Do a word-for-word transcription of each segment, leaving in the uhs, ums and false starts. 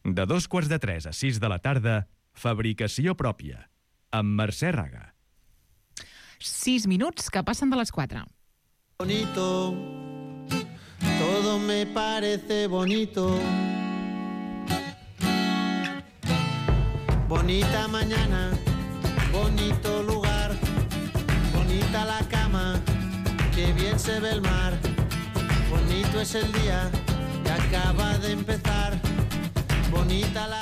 De dos quarts de tres a sis de la tarda, fabricació pròpia, amb Mercè Raga. Sis minuts que passen de les quatre. Bonito, todo me parece bonito. Bonita mañana, bonito lugar, bonita la cama, que bien se ve el mar. Bonito es el día que acaba de empezar.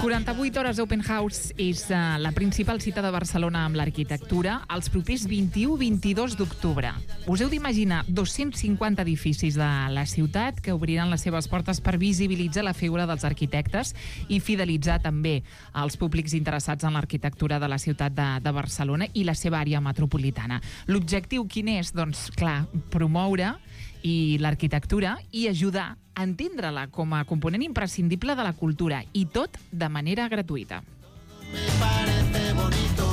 quaranta-vuit hores Open House és uh, la principal cita de Barcelona amb l'arquitectura els propers vint-i-u i vint-i-dos d'octubre. Us heu d'imaginar dos-cents cinquanta edificis de la ciutat que obriran les seves portes per visibilitzar la figura dels arquitectes i fidelitzar també els públics interessats en l'arquitectura de la ciutat de, de Barcelona i la seva àrea metropolitana. L'objectiu quin és? Doncs, clar, promoure i l'arquitectura i ajudar a entendre-la com a component imprescindible de la cultura i tot de manera gratuïta. Me parece bonito.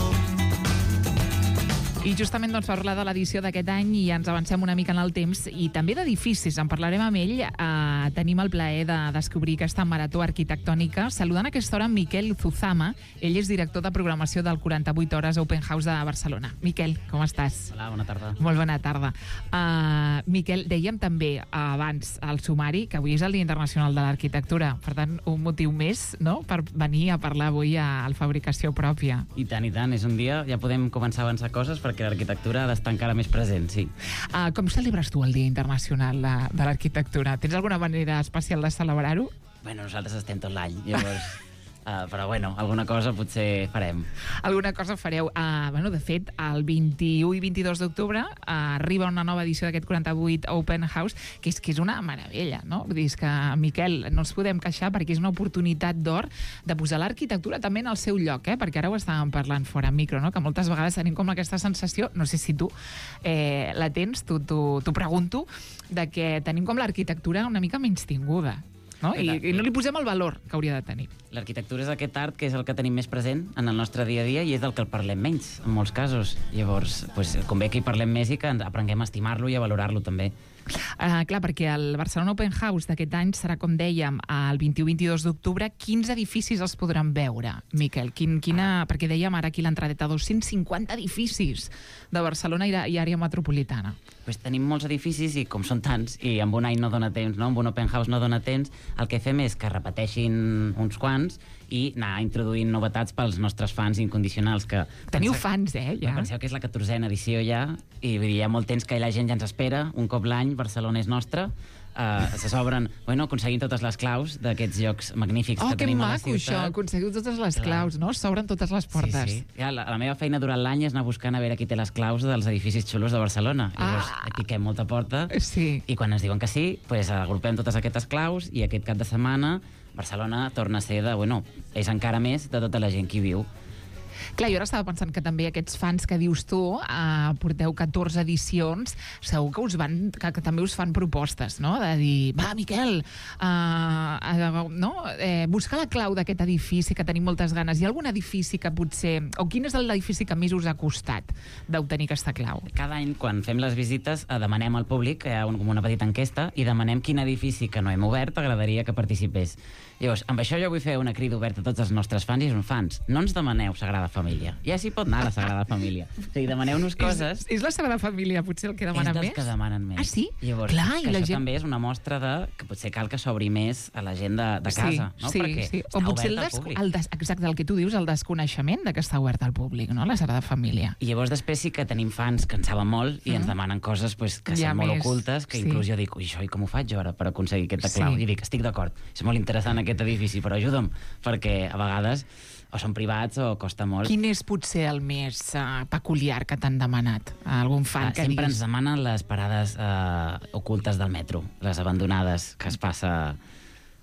I justament doncs, per parlar de l'edició d'aquest any i ens avancem una mica en el temps i també d'edificis, en parlarem amb ell. Eh, tenim el plaer de descobrir aquesta marató arquitectònica saludant a aquesta hora Miquel Zuzama. Ell és director de programació del quaranta-vuit hores Open House de Barcelona. Miquel, com estàs? Hola, bona tarda. Molt bona tarda. Uh, Miquel, dèiem també uh, abans al sumari que avui és el Dia Internacional de l'Arquitectura, per tant un motiu més, no?, per venir a parlar avui a, a Fabricació Pròpia. I tant, i tant, és un dia, ja podem començar a avançar coses perquè l'arquitectura ha d'estar encara més present, sí. Uh, com celebres tu el Dia Internacional de, de l'Arquitectura? Tens alguna manera especial de celebrar-ho? Bueno, nosaltres estem tot l'any, llavors... Uh, però bueno, alguna cosa potser farem. Alguna cosa fareu. Uh, bueno, de fet, el vint-i-u i vint-i-dos d'octubre uh, arriba una nova edició d'aquest quaranta-vuit Open House, que és que és una meravella, no? Vull dir, és que, Miquel, no ens podem queixar perquè és una oportunitat d'or de posar l'arquitectura també en el seu lloc, eh? Perquè ara ho estàvem parlant fora micro, no? Que moltes vegades tenim com aquesta sensació, no sé si tu eh, la tens, t'ho pregunto, de que tenim com l'arquitectura una mica menystinguda. No? I, I no li posem el valor que hauria de tenir. L'arquitectura és aquest art que és el que tenim més present en el nostre dia a dia i és del que el parlem menys, en molts casos. Llavors, pues, convé que hi parlem més i que aprenguem a estimar-lo i a valorar-lo també. Uh, clar, perquè el Barcelona Open House d'aquest any serà, com dèiem, el vint-i-u i vint-i-dos d'octubre. Quins edificis els podran veure, Miquel? Quin, quina, perquè dèiem ara aquí l'entradeta, dos-cents cinquanta edificis de Barcelona i, i àrea metropolitana. Pues tenim molts edificis i com són tants, i amb un any no dona temps, no? Amb un Open House no dona temps, el que fem és que repeteixin uns quants i anar introduint novetats pels nostres fans incondicionals. Que Teniu penseu, fans, eh, ja? Penseu que és la catorzena edició ja, i vull dir, hi ha molt temps que la gent ja ens espera, un cop l'any, Barcelona és nostra, uh, se s'obren, bueno, aconseguint totes les claus d'aquests llocs magnífics oh, que tenim a la Oh, ciutat. que maco, això, aconseguiu totes les claus, no? S'obren totes les portes. Sí, sí. Ja, la, la meva feina durant l'any és anar buscant a veure qui té les claus dels edificis xulos de Barcelona. Llavors, ah. piquem molta porta, sí. I quan ens diuen que sí, pues, agrupem totes aquestes claus i aquest cap de setmana Barcelona torna a ser de, bueno, és encara més de tota la gent que hi viu. Clar, jo ara estava pensant que també aquests fans que dius tu, eh, porteu catorze edicions, segur que us van, que, que també us fan propostes, no? De dir, va, Miquel, eh, eh, no? Eh, busca la clau d'aquest edifici que tenim moltes ganes. Hi ha algun edifici que potser... O quin és l'edifici que més us ha costat d'obtenir aquesta clau? Cada any, quan fem les visites, eh, demanem al públic, hi ha un, com una petita enquesta, i demanem quin edifici que no hem obert t'agradaria que participés. Llavors, amb això jo vull fer una crida oberta a tots els nostres fans i són fans. No ens demaneu Sagrada Família. Ja s'hi pot anar la Sagrada Família. O sigui, demaneu-nos coses... És, és la Sagrada Família potser el que demana més? És dels que demanen més. Ah, sí? Llavors, clar, i la això gent... també és una mostra de que potser cal que s'obri més a la gent de, de casa, sí, no? Sí, perquè sí. està O potser el, obert des... al públic. el des... Exacte, el que tu dius, el desconeixement de que està obert al públic, no? La Sagrada Família. I llavors després sí que tenim fans que en saben molt i mm. ens demanen coses pues, que ja són molt més, ocultes, que sí. inclús jo dic, ui, això, i com ho faig jo ara per aconseguir aquesta clau? Sí. I dic, estic d'acord, és molt interessant aquest edifici, però ajuda'm, perquè a vegades o són privats o costa molt. Quin és potser el més uh, peculiar que t'han demanat? Algun fan uh, que sempre diguis... ens demanen les parades uh, ocultes del metro, les abandonades que es passa...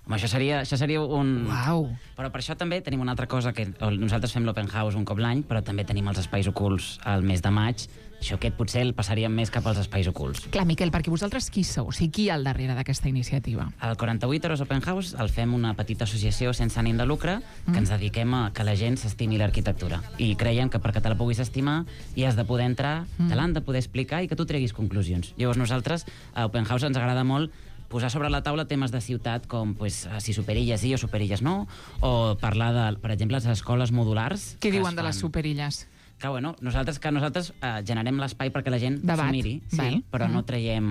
Home, això seria, això seria un... Uau! Però per això també tenim una altra cosa, que nosaltres fem l'Open House un cop l'any, però també tenim els espais ocults al mes de maig. Això aquest potser el passaríem més cap als espais ocults. Clar, Miquel, perquè vosaltres qui sou? O sigui, qui hi ha al darrere d'aquesta iniciativa? El quaranta-vuit Hores Open House el fem una petita associació sense ànim de lucre que mm. ens dediquem a que la gent s'estimi l'arquitectura. I creiem que perquè te la puguis estimar hi has de poder entrar, mm. te l'han de poder explicar i que tu treguis conclusions. Llavors nosaltres, a Open House ens agrada molt posar sobre la taula temes de ciutat com pues, si superilles sí o superilles no, o parlar, de, per exemple, les escoles modulars. Què diuen de les superilles? Que, bueno, nosaltres, que nosaltres eh, generem l'espai perquè la gent s'ho miri, sí, Val. però mm. no, traiem,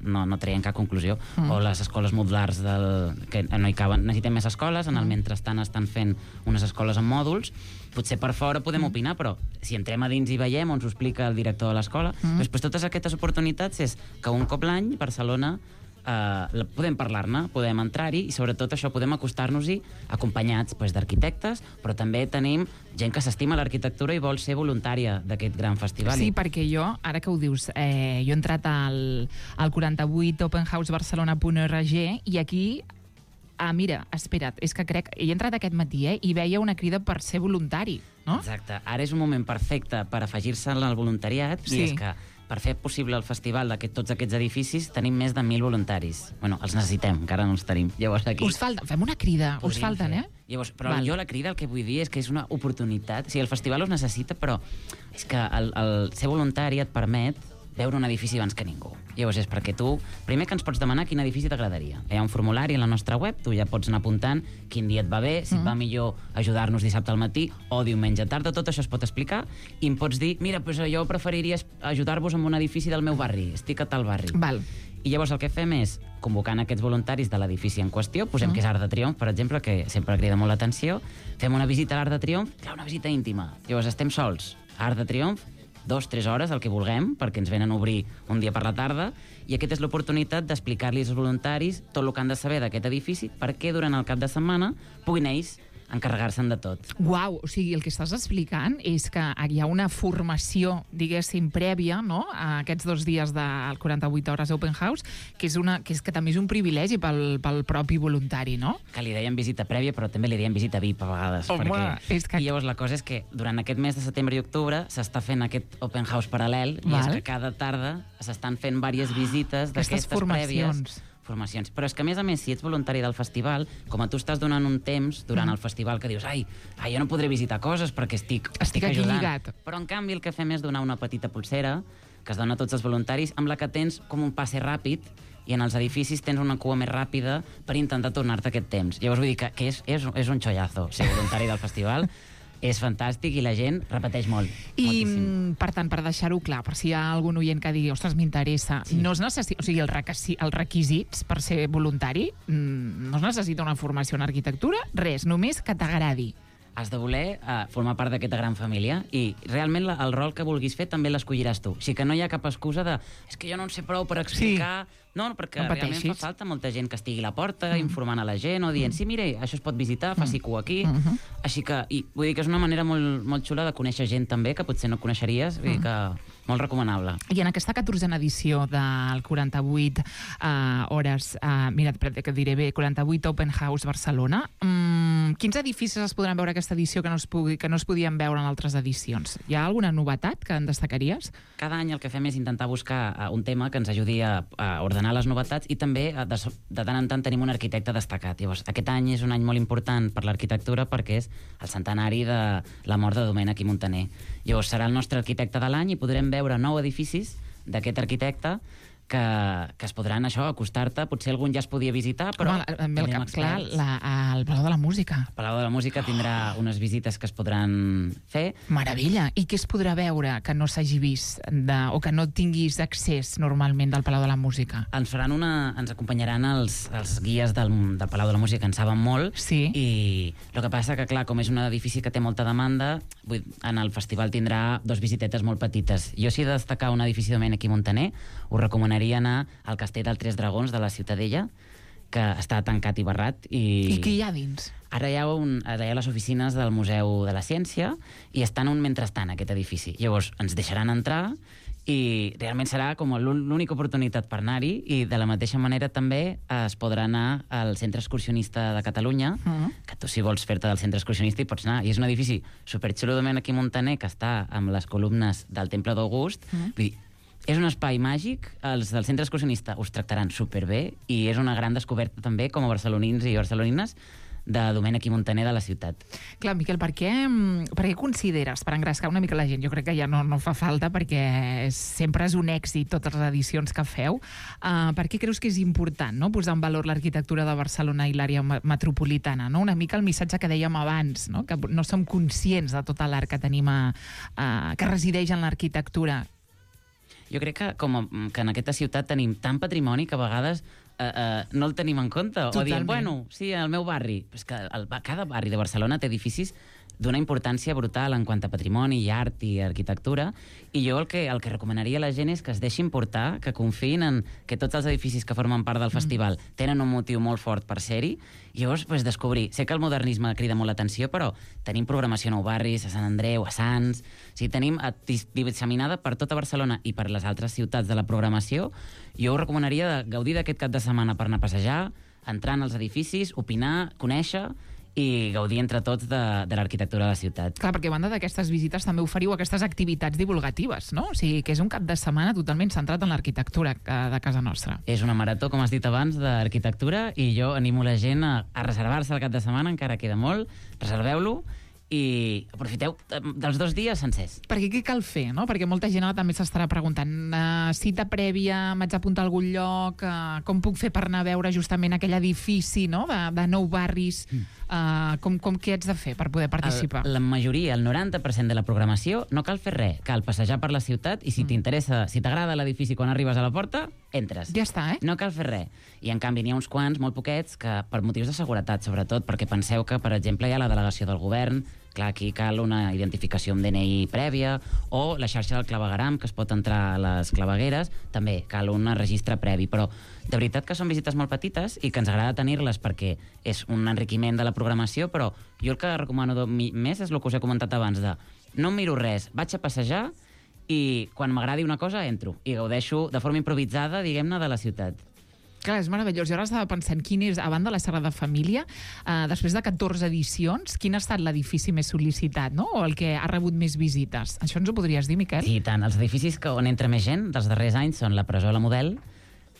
no, no traiem cap conclusió. Mm. O les escoles modulars del, que no hi caben. Necessitem més escoles, en el mentrestant estan fent unes escoles amb mòduls. Potser per fora podem mm. opinar, però si entrem a dins i veiem on s'ho explica el director de l'escola, mm. després totes aquestes oportunitats és que un cop l'any Barcelona Uh, podem parlar-ne, podem entrar-hi i sobretot això podem acostar-nos-hi acompanyats pues, d'arquitectes, però també tenim gent que s'estima l'arquitectura i vol ser voluntària d'aquest gran festival. Sí, perquè jo, ara que ho dius, eh, jo he entrat al, al quaranta-vuit open house barcelona punt org i aquí ah, mira, espera't, és que crec he entrat aquest matí eh, i veia una crida per ser voluntari, no? Exacte, ara és un moment perfecte per afegir-se al voluntariat sí. i és que per fer possible el festival de tots aquests edificis tenim més de mil voluntaris. Bueno, els necessitem, encara no els tenim. Llavors aquí... Us falta, fem una crida, us falten, fer. eh? Llavors, però Val. jo la crida el que vull dir és que és una oportunitat. O sigui, el festival us necessita, però és que el, el ser voluntari et permet veure un edifici abans que ningú. Llavors és perquè tu, primer que ens pots demanar quin edifici t'agradaria. Hi ha un formulari a la nostra web, tu ja pots anar apuntant quin dia et va bé, si mm. et va millor ajudar-nos dissabte al matí o diumenge a tarda, tot això es pot explicar i em pots dir, mira, pues jo preferiria ajudar-vos amb un edifici del meu barri, estic a tal barri. Val. I llavors el que fem és, convocant aquests voluntaris de l'edifici en qüestió, posem mm. que és Arc de Triomf, per exemple, que sempre crida molt l'atenció, fem una visita a l'Arc de Triomf, clar, una visita íntima. Llavors estem sols, Arc de Triomf, dos, tres hores, el que vulguem, perquè ens venen a obrir un dia per la tarda, i aquesta és l'oportunitat d'explicar-li als voluntaris tot el que han de saber d'aquest edifici perquè durant el cap de setmana puguin ells encarregar-se'n de tot. Uau, o sigui, el que estàs explicant és que hi ha una formació, diguéssim, prèvia, no?, a aquests dos dies del quaranta-vuit hores Open House, que és, una, que és que també és un privilegi pel, pel propi voluntari, no? Que li deien visita prèvia, però també li deien visita V I P a vegades. Home, perquè... és que... I llavors la cosa és que durant aquest mes de setembre i octubre s'està fent aquest Open House paral·lel, Val. I és que cada tarda s'estan fent diverses visites d'aquestes prèvies. Formacions. Però és que, a més a més, si ets voluntari del festival, com a tu estàs donant un temps durant mm. el festival que dius, ai, ai, jo no podré visitar coses perquè estic, estic, estic aquí ajudant. Lligat. Però, en canvi, el que fem és donar una petita pulsera que es dona a tots els voluntaris, amb la que tens com un passe ràpid i en els edificis tens una cua més ràpida per intentar tornar-te aquest temps. Llavors vull dir que, que és, és, és un xollazo ser voluntari del festival. És fantàstic i la gent repeteix molt. I, moltíssim. per tant, per deixar-ho clar, per si hi ha algun oient que digui, ostres, m'interessa, sí. no es necessita, o sigui, el requisi, els requisits per ser voluntari, no es necessita una formació en arquitectura, res, només que t'agradi. Has de voler uh, formar part d'aquesta gran família i realment la, el rol que vulguis fer també l'escolliràs tu. O sigui que no hi ha cap excusa de és que jo no en sé prou per explicar... Sí. No, perquè no realment fa falta molta gent que estigui a la porta, mm. informant a la gent o dient, mm. sí, mire, això es pot visitar, faci cua aquí. Mm -hmm. Així que, i vull dir que és una manera molt, molt xula de conèixer gent també que potser no coneixeries, vull dir que molt recomanable. I en aquesta catorzena edició del quaranta-vuit uh, hores, uh, mira, que diré bé, quaranta-vuit Open House Barcelona, um, quins edificis es podran veure aquesta edició que no, es pugui, que no es podien veure en altres edicions? Hi ha alguna novetat que en destacaries? Cada any el que fem és intentar buscar uh, un tema que ens ajudi a, a ordenar les novetats i també de, de tant en tant tenim un arquitecte destacat. Llavors, aquest any és un any molt important per l'arquitectura perquè és el centenari de la mort de Domènec i Montaner. Llavors, serà el nostre arquitecte de l'any i podrem veure nou edificis d'aquest arquitecte que, que es podran, això, acostar-te. Potser algun ja es podia visitar, però... Home, em ve el cap clar, la, el Palau de la Música. El Palau de la Música tindrà unes visites que es podran fer. Meravella! I què es podrà veure que no s'hagi vist de, o que no tinguis accés normalment del Palau de la Música? Ens faran una... Ens acompanyaran els, els guies del, del Palau de la Música, que en saben molt. Sí. I el que passa que, clar, com és un edifici que té molta demanda, vull, en el festival tindrà dos visitetes molt petites. Jo, si he de destacar un edifici de Domènec i Montaner, us recomanaria anar al Castell dels Tres Dragons de la Ciutadella, que està tancat i barrat. I, I què hi ha dins? Ara hi ha, un, ara hi ha les oficines del Museu de la Ciència i està en un mentrestant, aquest edifici. Llavors, ens deixaran entrar i realment serà com l'única oportunitat per anar-hi i de la mateixa manera també es podrà anar al Centre Excursionista de Catalunya, uh-huh. que tu si vols fer-te del Centre Excursionista hi pots anar. I és un edifici superxulo de Domènec i Montaner que està amb les columnes del Temple d'August. Uh-huh. Vull dir, és un espai màgic, els del Centre Excursionista us tractaran superbé i és una gran descoberta també com a barcelonins i barcelonines de Domènech i Montaner de la ciutat. Clar, Miquel, per què, per què consideres, per engrescar una mica la gent, jo crec que ja no, no fa falta perquè sempre és un èxit totes les edicions que feu, uh, per què creus que és important, no?, posar en valor l'arquitectura de Barcelona i l'àrea metropolitana, no? Una mica el missatge que dèiem abans, no?, que no som conscients de tot l'art que tenim a, a, que resideix en l'arquitectura. Jo crec que, com a, que en aquesta ciutat tenim tant patrimoni que a vegades Uh, uh, no el tenim en compte. Totalment. O diem, bueno, sí, al meu barri. Però és que el, cada barri de Barcelona té edificis d'una importància brutal en quant a patrimoni, i art i arquitectura, i jo el que, el que recomanaria a la gent és que es deixin portar, que confiïn en que tots els edificis que formen part del mm. festival tenen un motiu molt fort per ser-hi, i llavors pues, descobrir. Sé que el modernisme crida molt l'atenció, però tenim programació a Nou Barris, a Sant Andreu, a Sants, o sigui, tenim disseminada per tota Barcelona i per les altres ciutats de la programació. Jo us recomanaria de gaudir d'aquest cap de setmana per anar a passejar, entrar en els edificis, opinar, conèixer i gaudir entre tots de, de l'arquitectura de la ciutat. Clar, perquè a banda d'aquestes visites també oferiu aquestes activitats divulgatives, no? O sigui, que és un cap de setmana totalment centrat en l'arquitectura de casa nostra. És una marató, com has dit abans, d'arquitectura, i jo animo la gent a, a reservar-se el cap de setmana, encara queda molt, reserveu-lo, i aprofiteu dels dos dies sencers. Perquè què cal fer, no? Perquè molta gent ara també s'estarà preguntant uh, cita prèvia, m'haig d'apuntar a algun lloc, uh, com puc fer per anar a veure justament aquell edifici, no?, de, de Nou Barris, uh, com, com què haig de fer per poder participar? El, la majoria, el noranta per cent de la programació, no cal fer res, cal passejar per la ciutat i si mm. t'interessa, si t'agrada l'edifici quan arribes a la porta, entres. Ja està, eh? No cal fer res. I en canvi n'hi ha uns quants, molt poquets, que per motius de seguretat, sobretot, perquè penseu que, per exemple, hi ha la delegació del govern, clar, aquí cal una identificació amb D N I prèvia, o la xarxa del clavegueram, que es pot entrar a les clavegueres, també cal un registre previ, però de veritat que són visites molt petites i que ens agrada tenir-les perquè és un enriquiment de la programació, però jo el que recomano més és el que us he comentat abans, de no em miro res, vaig a passejar i quan m'agradi una cosa entro i gaudeixo de forma improvisada, diguem-ne, de la ciutat. Clar, és meravellós. Jo ara estava pensant quin és, a banda de la Sagrada Família, eh, després de catorze edicions, quin ha estat l'edifici més sol·licitat, no?, o el que ha rebut més visites. Això ens ho podries dir, Miquel? Sí, tant. Els edificis que on entra més gent dels darrers anys són la presó La Model,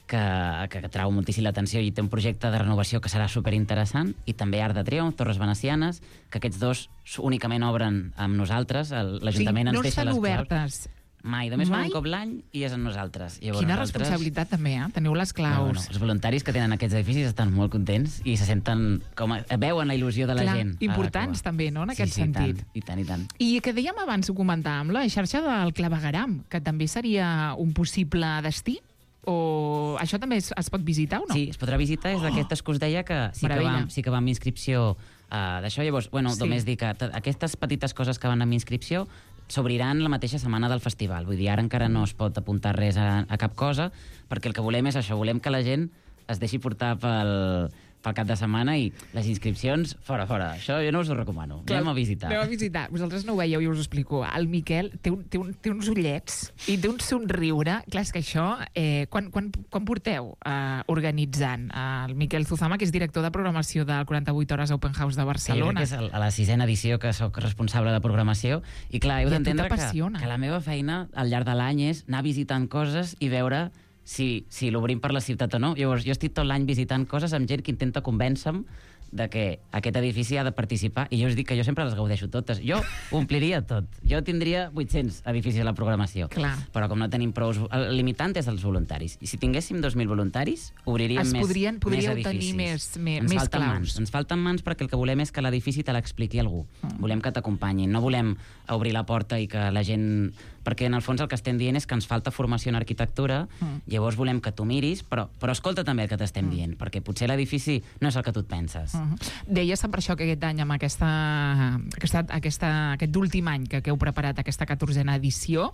que, que, que trau moltíssim l'atenció i té un projecte de renovació que serà superinteressant, i també Arc de Triomf, Torres Venecianes, que aquests dos únicament obren amb nosaltres, l'Ajuntament sí, ens no deixa les claus. obertes. Mai, només fan un cop l'any i és amb nosaltres. Llavors, Quina nosaltres... responsabilitat també, eh? Teniu les claus. No, no. Els voluntaris que tenen aquests edificis estan molt contents i se senten com a... veuen la il·lusió de la Clar, gent. importants també, no?, en aquest sí, sí, sentit. I tant, i tant. I que dèiem abans, ho comentàvem, la xarxa del clavegueram, que també seria un possible destí? O això també es, es pot visitar o no? Sí, es podrà visitar, és d'aquestes que us deia que sí que, vam, sí que va amb inscripció uh, d'això. Llavors, bueno, sí. només dir que aquestes petites coses que van amb inscripció s'obriran la mateixa setmana del festival. Vull dir, ara encara no es pot apuntar res a, a cap cosa, perquè el que volem és això, volem que la gent es deixi portar pel, pel cap de setmana i les inscripcions, fora, fora. Això jo no us ho recomano. Clar, anem a visitar. Anem a visitar. Vosaltres no ho veieu i us ho explico. El Miquel té, un, té, un, té uns ullets i té un somriure. Clar, és que això... Eh, quan, quan, quan porteu eh, organitzant? Eh, el Miquel Zuzama, que és director de programació del quaranta-vuit hores Open House de Barcelona. Sí, que és a la sisena edició que sóc responsable de programació. I clar, heu d'entendre que, que la meva feina al llarg de l'any és anar visitant coses i veure si, si l'obrim per la ciutat o no. Llavors, jo estic tot l'any visitant coses amb gent que intenta convèncer-me de que aquest edifici ha de participar, i jo us dic que jo sempre les gaudeixo totes. Jo ompliria tot. Jo tindria vuit-cents edificis a la programació. Clar. Però com no tenim prou... El limitant és els voluntaris. I si tinguéssim dos mil voluntaris, obriríem es més, podrien, més edificis. tenir més, més, ens més falten claus. Mans. Ens falten mans perquè el que volem és que l'edifici te l'expliqui algú. Mm. Volem que t'acompanyin. No volem obrir la porta i que la gent... Perquè en el fons el que estem dient és que ens falta formació en arquitectura, mm. llavors volem que tu miris, però, però escolta també el que t'estem mm. dient, perquè potser l'edifici no és el que tu et penses. Mm -hmm. Deies per això que aquest any, amb aquesta, aquesta, aquesta, aquest últim any que, que heu preparat aquesta catorzena edició,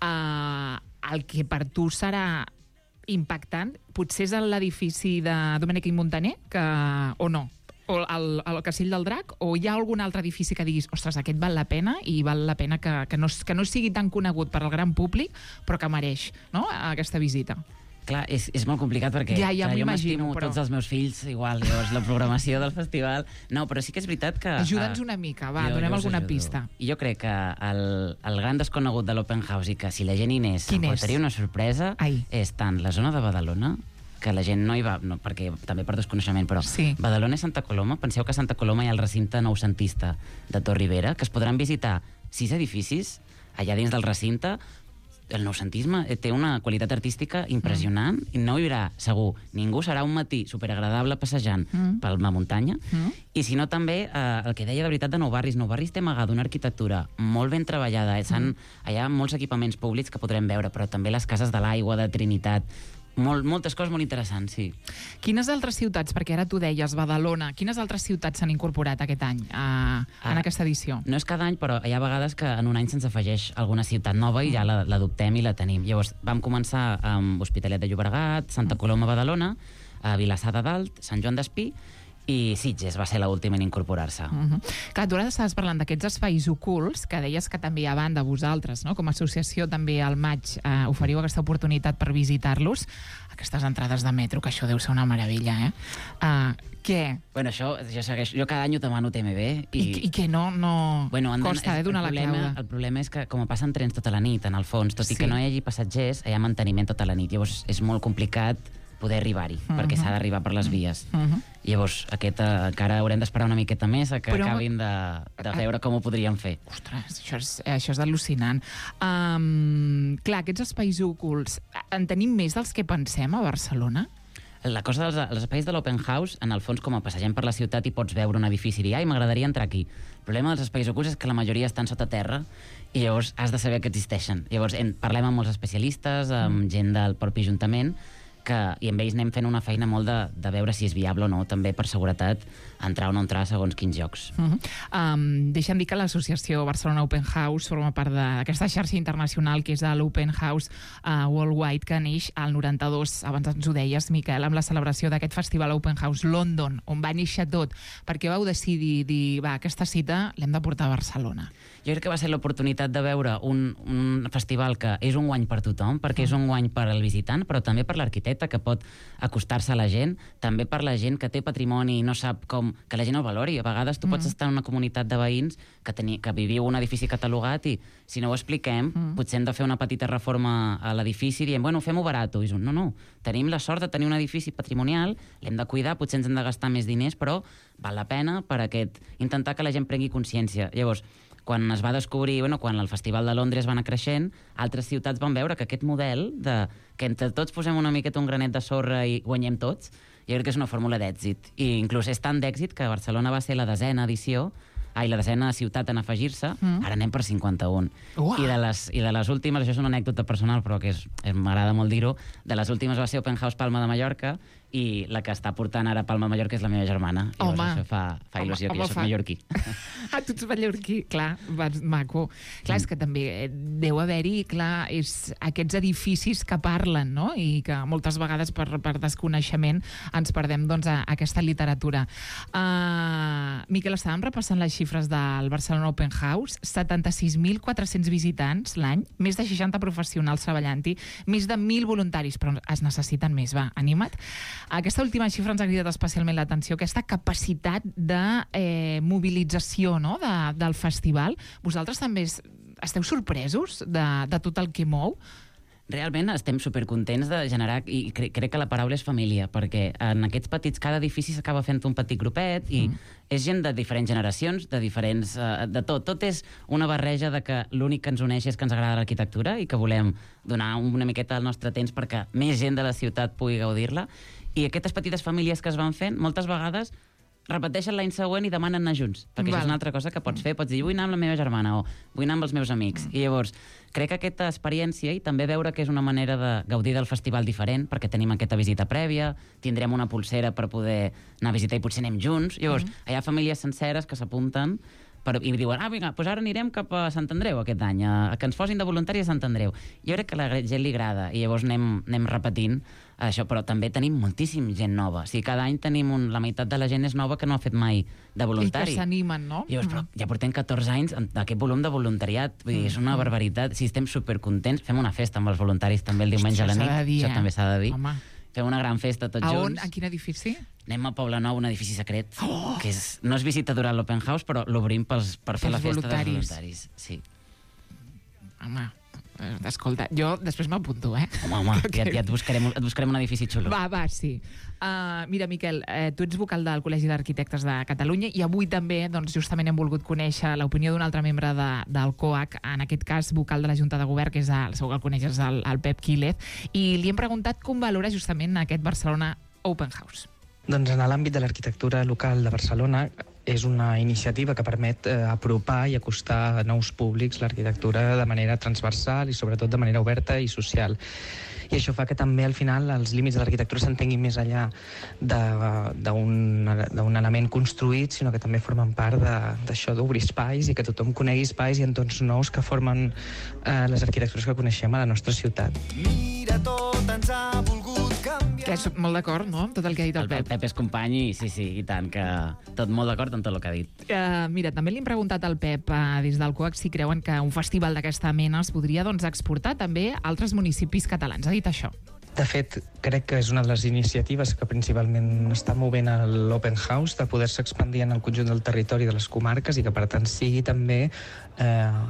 eh, el que per tu serà impactant potser és l'edifici de Domènech i Montaner, que, o no? O el, el Castell del Drac, o hi ha algun altre edifici que diguis, ostres, aquest val la pena i val la pena que, que, no, que no sigui tan conegut per al gran públic, però que mereix, no?, aquesta visita? Clar, és, és molt complicat perquè ja, ja clar, jo m'estimo però... tots els meus fills igual, llavors la programació del festival... No, però sí que és veritat que... Ajuda'ns una mica, va, jo, donem jo alguna ajudo. pista. I jo crec que el, el gran desconegut de l'Open House i que si la gent hi anés Quin em portaria és? una sorpresa Ai. és tant la zona de Badalona que la gent no hi va, no, perquè també per desconeixement, però sí. Badalona i Santa Coloma, penseu que a Santa Coloma hi ha el recinte noucentista de Tor Ribera, que es podran visitar sis edificis allà dins del recinte. El noucentisme té una qualitat artística impressionant mm. i no hi haurà, segur, ningú serà un matí superagradable passejant mm. per la muntanya. Mm. I si no, també, eh, el que deia de veritat de Nou Barris, Nou Barris té amagada una arquitectura molt ben treballada. Mm. Hi ha molts equipaments públics que podrem veure, però també les cases de l'aigua, de Trinitat, Molt, moltes coses molt interessants, sí. Quines altres ciutats, perquè ara tu deies Badalona, quines altres ciutats s'han incorporat aquest any a, ah, en aquesta edició? No és cada any, però hi ha vegades que en un any se'ns afegeix alguna ciutat nova i ja l'adoptem i la tenim. Llavors, vam començar amb Hospitalet de Llobregat, Santa Coloma, Badalona, a Vilassar de Dalt, Sant Joan d'Espí, i Sitges va ser l'última en incorporar-se. Uh -huh. Clar, tu ara estaves parlant d'aquests espais ocults, que deies que també a banda vosaltres, no? Com a associació també al maig eh, oferiu aquesta oportunitat per visitar-los. Aquestes entrades de metro, que això deu ser una meravella, eh? Uh, què? Bueno, això, jo, segueixo, jo cada any ho demano T M B. I, I, i que no, no bueno, costa eh, donar la clau. El problema és que, com passen trens tota la nit, en el fons, tot sí. i que no hi hagi passatgers, hi ha manteniment tota la nit. Llavors, és molt complicat poder arribar-hi, uh -huh. perquè s'ha d'arribar per les vies. Uh -huh. Llavors, aquest, uh, encara haurem d'esperar una miqueta més a que Però, acabin de, de veure com ho podríem fer. Ostres, això és, això és al·lucinant. Um, clar, aquests espais ocults, en tenim més dels que pensem a Barcelona? La cosa dels els espais de l'Open House, en el fons, com a passegem per la ciutat i pots veure un edifici i dir, ai, m'agradaria entrar aquí. El problema dels espais ocults és que la majoria estan sota terra i llavors has de saber que existeixen. Llavors, en, parlem amb molts especialistes, amb mm. gent del propi Ajuntament, que, i amb ells anem fent una feina molt de, de veure si és viable o no, també per seguretat, entrar o no entrar segons quins llocs. Uh -huh. um, deixa'm dir que l'associació Barcelona Open House forma part d'aquesta xarxa internacional que és l'Open House uh, Worldwide, que neix al noranta-dos, abans ens ho deies, Miquel, amb la celebració d'aquest festival Open House London, on va néixer tot, perquè vau decidir dir, va, aquesta cita l'hem de portar a Barcelona. Jo crec que va ser l'oportunitat de veure un, un festival que és un guany per tothom, perquè uh -huh. és un guany per al visitant, però també per l'arquitecte, que pot acostar-se a la gent, també per la gent que té patrimoni i no sap com, que la gent el valori. A vegades tu mm. pots estar en una comunitat de veïns que, teni, que viviu un edifici catalogat i si no ho expliquem, mm. potser hem de fer una petita reforma a l'edifici i diem, bueno, fem-ho barat. I no, no, tenim la sort de tenir un edifici patrimonial, l'hem de cuidar, potser ens hem de gastar més diners, però val la pena per aquest, intentar que la gent prengui consciència. Llavors, quan es va descobrir, bueno, quan el Festival de Londres va anar creixent, altres ciutats van veure que aquest model de que entre tots posem una miqueta un granet de sorra i guanyem tots, jo crec que és una fórmula d'èxit. I inclús és tan d'èxit que Barcelona va ser la desena edició, ai, la desena ciutat en afegir-se, mm. ara anem per cinquanta-un. Uah. I de, les, I de les últimes, això és una anècdota personal, però que és, m'agrada molt dir-ho, de les últimes va ser Open House Palma de Mallorca, i la que està portant ara Palma de Mallorca és la meva germana. Llavors home. Això fa, fa il·lusió, home, que jo soc fa... mallorquí. Ah, tu ets mallorquí, clar, vas, maco. Clar, és que també deu haver-hi, clar, és aquests edificis que parlen, no? I que moltes vegades per, per desconeixement ens perdem, doncs, a, a aquesta literatura. Uh, Miquel, estàvem repassant les xifres del Barcelona Open House, setanta-sis mil quatre-cents visitants l'any, més de seixanta professionals treballant-hi, més de mil voluntaris, però es necessiten més, va, anima't. Aquesta última xifra ens ha cridat especialment l'atenció, aquesta capacitat de eh, mobilització, no?, de, del festival. Vosaltres també esteu sorpresos de, de tot el que mou? Realment estem supercontents de generar, i cre crec que la paraula és família, perquè en aquests petits, cada edifici s'acaba fent un petit grupet i mm. és gent de diferents generacions, de diferents... Uh, de tot. Tot és una barreja de que l'únic que ens uneix és que ens agrada l'arquitectura i que volem donar una miqueta del nostre temps perquè més gent de la ciutat pugui gaudir-la. I aquestes petites famílies que es van fent, moltes vegades repeteixen l'any següent i demanen anar junts, perquè Val. Això és una altra cosa que pots fer. Pots dir, vull anar amb la meva germana o vull anar amb els meus amics. Mm. I llavors, crec que aquesta experiència i també veure que és una manera de gaudir del festival diferent, perquè tenim aquesta visita prèvia, tindrem una pulsera per poder anar a visitar i potser anem junts. Llavors, mm. hi ha famílies senceres que s'apunten per, i diuen, ah, vinga, doncs ara anirem cap a Sant Andreu aquest any, a, a que ens posin de voluntari a Sant Andreu. Jo crec que a la gent li agrada i llavors anem, anem repetint això, però també tenim moltíssim gent nova. O sigui, cada any tenim un, la meitat de la gent és nova que no ha fet mai de voluntari. I que s'animen, no? I llavors, però ja portem catorze anys d'aquest volum de voluntariat. Vull dir, és una barbaritat. Si estem supercontents, fem una festa amb els voluntaris també el diumenge Hòstia, a la nit. Dir, això eh? també s'ha de dir. Home. Fem una gran festa tots a junts. On? A quin edifici? Anem a Poblenou, un edifici secret, oh! que és, no és visita durant l'Open House, però l'obrim per fer la festa dels voluntaris. Sí. Home, Escolta, jo després m'apunto, eh? Home, home, ja, ja et, buscarem, et buscarem un edifici xulo. Va, va, sí. Uh, mira, Miquel, eh, tu ets vocal del Col·legi d'Arquitectes de Catalunya i avui també, doncs, justament hem volgut conèixer l'opinió d'un altre membre de, del C O A C, en aquest cas vocal de la Junta de Govern, que és el, segur que el coneixes, el, el Pep Quílez, i li hem preguntat com valora justament aquest Barcelona Open House. Doncs en l'àmbit de l'arquitectura local de Barcelona és una iniciativa que permet eh, apropar i acostar a nous públics l'arquitectura de manera transversal i sobretot de manera oberta i social. I això fa que també al final els límits de l'arquitectura s'entenguin més enllà d'un element construït, sinó que també formen part d'això d'obrir espais i que tothom conegui espais i entorns nous que formen eh, les arquitectures que coneixem a la nostra ciutat. Mira, tot ens ha volgut canviar. Que és molt d'acord, no?, amb tot el que ha dit el, el Pep. El Pep és company i sí, sí, i tant, que tot molt d'acord amb tot el que ha dit. Uh, mira, també li hem preguntat al Pep uh, des del C O A C si creuen que un festival d'aquesta mena es podria, doncs, exportar també a altres municipis catalans. Ha dit això. De fet, crec que és una de les iniciatives que principalment està movent l'Open House, de poder-se expandir en el conjunt del territori de les comarques i que, per tant, sigui també eh,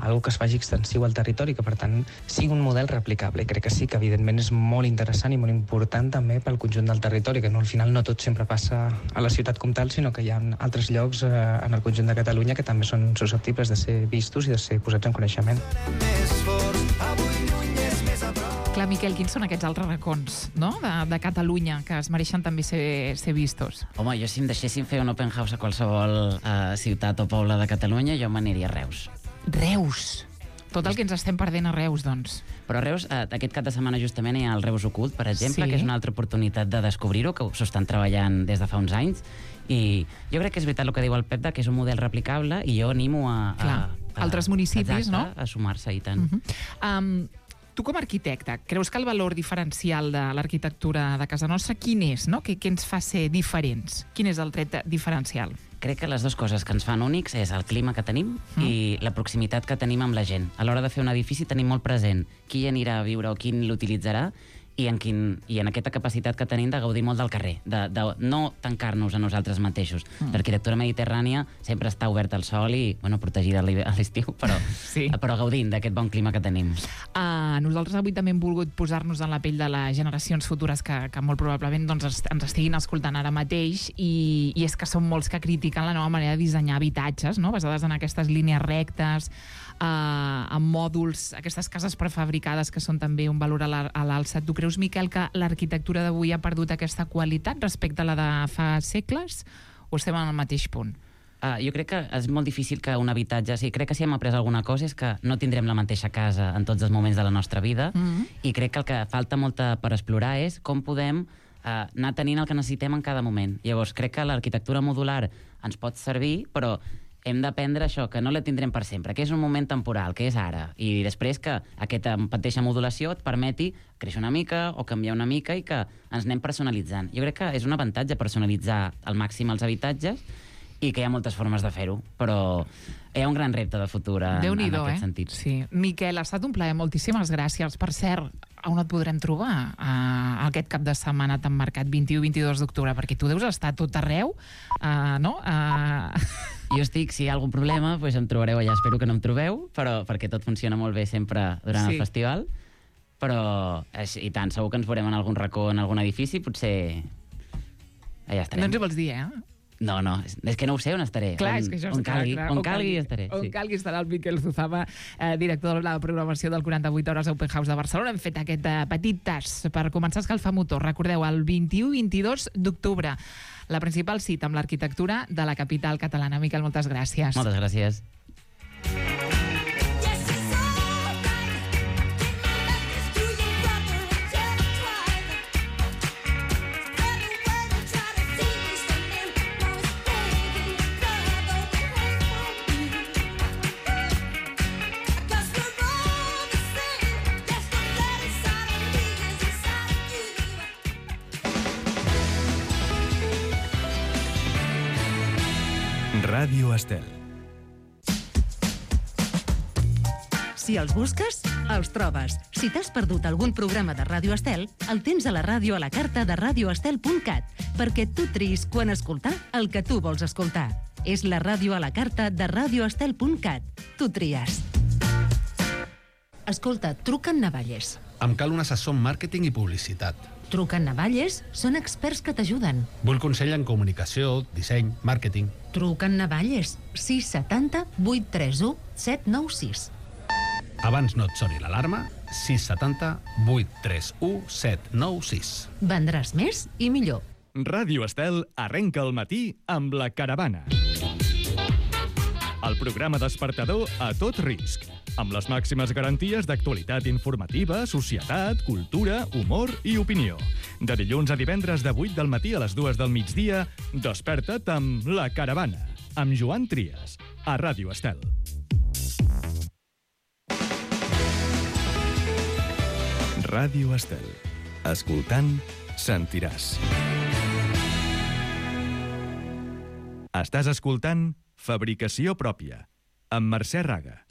algo que es faci extensiu al territori, que, per tant, sigui un model replicable. I crec que sí, que evidentment és molt interessant i molt important també pel conjunt del territori, que no, al final no tot sempre passa a la ciutat com tal, sinó que hi ha altres llocs eh, en el conjunt de Catalunya que també són susceptibles de ser vistos i de ser posats en coneixement. Clar, Miquel, quins són aquests altres racons, no?, de, de Catalunya, que es mereixen també ser, ser vistos? Home, jo si em deixessin fer un open house a qualsevol uh, ciutat o poble de Catalunya, jo m'aniria a Reus. Reus! Tot el que ens estem perdent a Reus, doncs. Però a Reus, uh, aquest cap de setmana justament hi ha el Reus Ocult, per exemple, sí, que és una altra oportunitat de descobrir-ho, que s'ho estan treballant des de fa uns anys, i jo crec que és veritat el que diu el Pep, que és un model replicable, i jo animo a... Clar, a, a altres municipis, exacte, no?, a sumar-se, i tant. Uh -huh. um, Tu com a arquitecte, creus que el valor diferencial de l'arquitectura de casa nostra quin és, no? Què, què ens fa ser diferents? Quin és el tret diferencial? Crec que les dues coses que ens fan únics és el clima que tenim mm. i la proximitat que tenim amb la gent. A l'hora de fer un edifici tenim molt present qui hi anirà a viure o qui l'utilitzarà i en, quin, i en aquesta capacitat que tenim de gaudir molt del carrer, de, de no tancar-nos a nosaltres mateixos. Mm. L'arquitectura mediterrània sempre està oberta al sol i, bueno, protegida a l'estiu, però, sí. però gaudint d'aquest bon clima que tenim. Uh, nosaltres avui també hem volgut posar-nos en la pell de les generacions futures que, que molt probablement doncs, ens estiguin escoltant ara mateix i, i és que són molts que critiquen la nova manera de dissenyar habitatges, no?, basades en aquestes línies rectes, Uh, amb mòduls, aquestes cases prefabricades que són també un valor a l'alça. Tu creus, Miquel, que l'arquitectura d'avui ha perdut aquesta qualitat respecte a la de fa segles o estem en el mateix punt? Uh, jo crec que és molt difícil que un habitatge... Sí, crec que si hem après alguna cosa és que no tindrem la mateixa casa en tots els moments de la nostra vida mm-hmm. i crec que el que falta molta per explorar és com podem uh, anar tenint el que necessitem en cada moment. Llavors, crec que l'arquitectura modular ens pot servir, però hem d'aprendre això, que no la tindrem per sempre, que és un moment temporal, que és ara, i després que aquesta mateixa modulació et permeti créixer una mica o canviar una mica i que ens anem personalitzant. Jo crec que és un avantatge personalitzar al màxim els habitatges i que hi ha moltes formes de fer-ho, però hi ha un gran repte de futur en, en aquest eh? sentit. Sí. Miquel, ha estat un plaer, moltíssimes gràcies. Per cert, on et podrem trobar uh, aquest cap de setmana tan marcat, vint-i-u i vint-i-dos d'octubre? Perquè tu deus estar a tot arreu, uh, no? Uh... Jo estic, si hi ha algun problema, doncs em trobareu allà. Espero que no em trobeu, però perquè tot funciona molt bé sempre durant sí. el festival. Però, i tant, segur que ens veurem en algun racó, en algun edifici, potser allà estarem. No ens ho vols dir, eh? No, no, és, és que no ho sé on estaré. Clar, on, és que això on calgui, clar, on, on calgui, calgui estaré. On sí. calgui estarà el Miquel Zuzama, eh, director de la programació del quaranta-vuit hores Open House de Barcelona. Hem fet aquest eh, petit tast per començar a escalfar motor. Recordeu, el vint-i-u i vint-i-dos d'octubre, la principal cita amb l'arquitectura de la capital catalana. Miquel, moltes gràcies. Moltes gràcies. Ràdio Estel. Si els busques, els trobes. Si t'has perdut algun programa de Ràdio Estel, el tens a la ràdio a la carta de radio estel punt cat, perquè tu triïs quan escoltar el que tu vols escoltar. És la ràdio a la carta de radio estel punt cat. Tu tries. Escolta, truca en Navalles. Em cal un assessor en màrqueting i publicitat. Truca en Navalles, són experts que t'ajuden. Vull consell en comunicació, disseny, màrqueting. Truca en Navalles, sis set zero, vuit tres u, set nou sis. Abans no et soni l'alarma, sis set zero, vuit tres u, set nou sis. Vendràs més i millor. Ràdio Estel arrenca el matí amb La Caravana. El programa despertador a tot risc, amb les màximes garanties d'actualitat informativa, societat, cultura, humor i opinió. De dilluns a divendres de vuit del matí a les dues del migdia, desperta't amb La Caravana, amb Joan Trias, a Ràdio Estel. Ràdio Estel. Escoltant, sentiràs. Estàs escoltant Fabricació pròpia, amb Mercè Raga.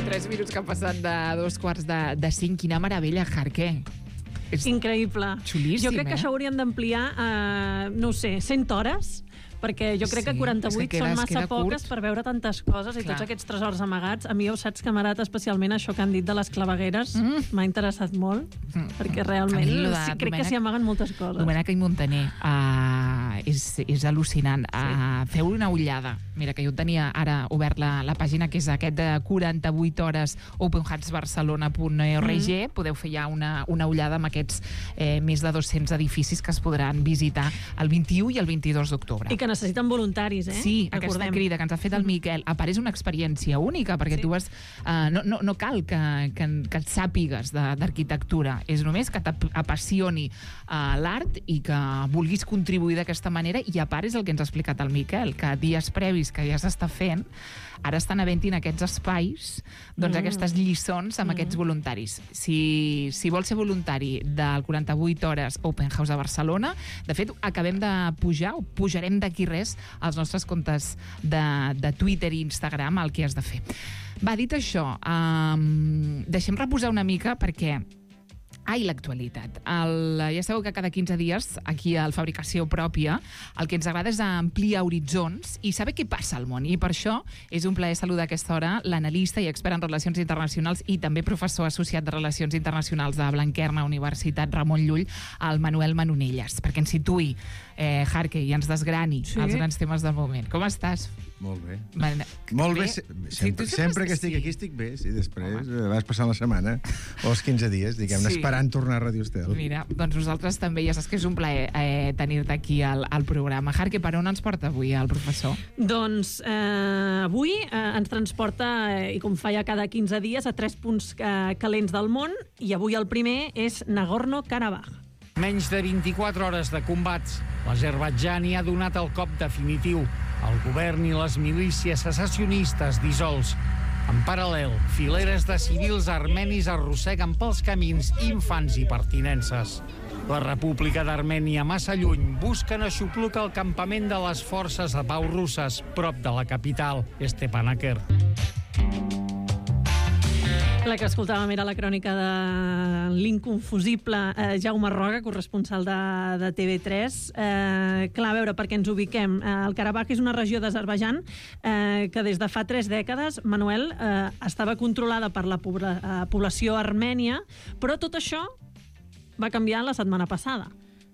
Tres minuts que han passat de dos quarts de, de cinc. Quina meravella, Jarque. És increïble. Xulíssim, jo crec que eh? això haurien d'ampliar a, no ho sé, cent hores, perquè jo crec Sí, que quaranta-vuit és que queda- són es massa queda poques curt. per veure tantes coses i Clar. tots aquests tresors amagats. A mi ho saps que m'ha agradat especialment això que han dit de les clavegueres. Mm. M'ha interessat molt, Mm. perquè realment A mi lo de sí, crec que Domènec- s'hi amaguen moltes coses. Domènec i Montaner, uh, és, és al·lucinant. Uh, feu una ullada. Mira, que jo tenia ara obert la, la pàgina, que és aquest de quaranta-vuit hores open hats barcelona punt org. Mm. Podeu fer ja una, una ullada amb aquests eh, més de dos-cents edificis que es podran visitar el vint-i-u i el vint-i-dos d'octubre. I que necessiten voluntaris, eh? Sí, aquesta Recordem. crida que ens ha fet el Miquel. A part, és una experiència única, perquè Sí. tu vas... Uh, no, no, no cal que, que, que et sàpigues de- d'arquitectura. És només que t'apassioni uh, l'art i que vulguis contribuir d'aquesta manera. I a part és el que ens ha explicat el Miquel, que dies previs que ja s'està fent, ara estan havent-hi en aquests espais doncs, Mm. aquestes lliçons amb Mm. aquests voluntaris. Si, si vols ser voluntari del quaranta-vuit hores Open House a Barcelona, de fet, acabem de pujar, o pujarem d'aquí res, als nostres comptes de, de Twitter i Instagram, el que has de fer. Va, dit això, um, deixem reposar una mica perquè... Ai, l'actualitat. El, ja sabeu que cada quinze dies, aquí al Fabricació Pròpia, el que ens agrada és ampliar horitzons i saber què passa al món. I per això és un plaer saludar a aquesta hora l'analista i expert en relacions internacionals i també professor associat de Relacions Internacionals de Blanquerna Universitat Ramon Llull, el Manuel Manonelles, perquè ens situï, eh, Jarque, i ens desgrani Sí. els grans temes del moment. Com estàs? Molt bé. Man... Molt bé, Bé? se- Sí, sempre, tu sempre que estàs- estic sí. aquí estic bé, i després eh, vas passant la setmana o els quinze dies, diguem-ne, Sí. esperant tornar a Radio Estel. Mira, doncs nosaltres també, ja saps que és un plaer eh, tenir-te aquí al, al programa. Jarque, per on ens porta avui el professor? Doncs eh, avui eh, ens transporta, eh, i com fa ja cada quinze dies, a tres punts eh, calents del món, i avui el primer és Nagorno-Karabakh. Menys de vint-i-quatre hores de combats, l'Azerbaidjan hi ha donat el cop definitiu. El govern i les milícies secessionistes dissolts. En paral·lel, fileres de civils armenis arrosseguen pels camins infants i pertinences. La República d'Armènia, massa lluny, busquen aixoplucar el campament de les forces de pau russes, prop de la capital, Stepanakert. La que escoltàvem era la crònica de l'inconfusible eh, Jaume Roga, corresponsal de, de T V tres. Eh, clar, a veure, perquè ens ubiquem. Eh, el Karabakh és una regió d'Azerbaidjan eh, que des de fa tres dècades, Manuel, eh, estava controlada per la pobla, eh, població armènia, però tot això va canviar la setmana passada.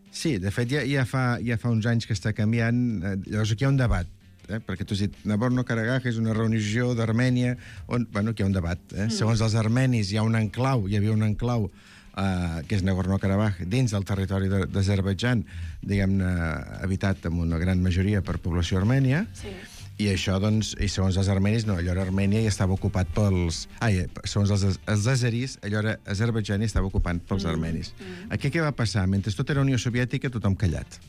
Sí, de fet, ja, ja, fa, ja fa uns anys que està canviant. Eh, llavors, aquí hi ha un debat, eh? perquè tu has dit Nagorno-Karabakh és una regió d'Armènia on, bueno, aquí hi ha un debat. Eh? Mm. Segons els armenis, hi ha un enclau, hi havia un enclau eh, que és Nagorno-Karabakh, dins del territori de- d'Azerbaidjan, diguem-ne, habitat amb una gran majoria per població armènia. Sí. I això, doncs, i segons els armenis, no, allò era Armènia i estava ocupat pels... Ai, segons els, els azeris, allò era Azerbaidjan i estava ocupat pels mm. armenis. Mm. Aquí què va passar? Mentre tot era Unió Soviètica, tothom callat.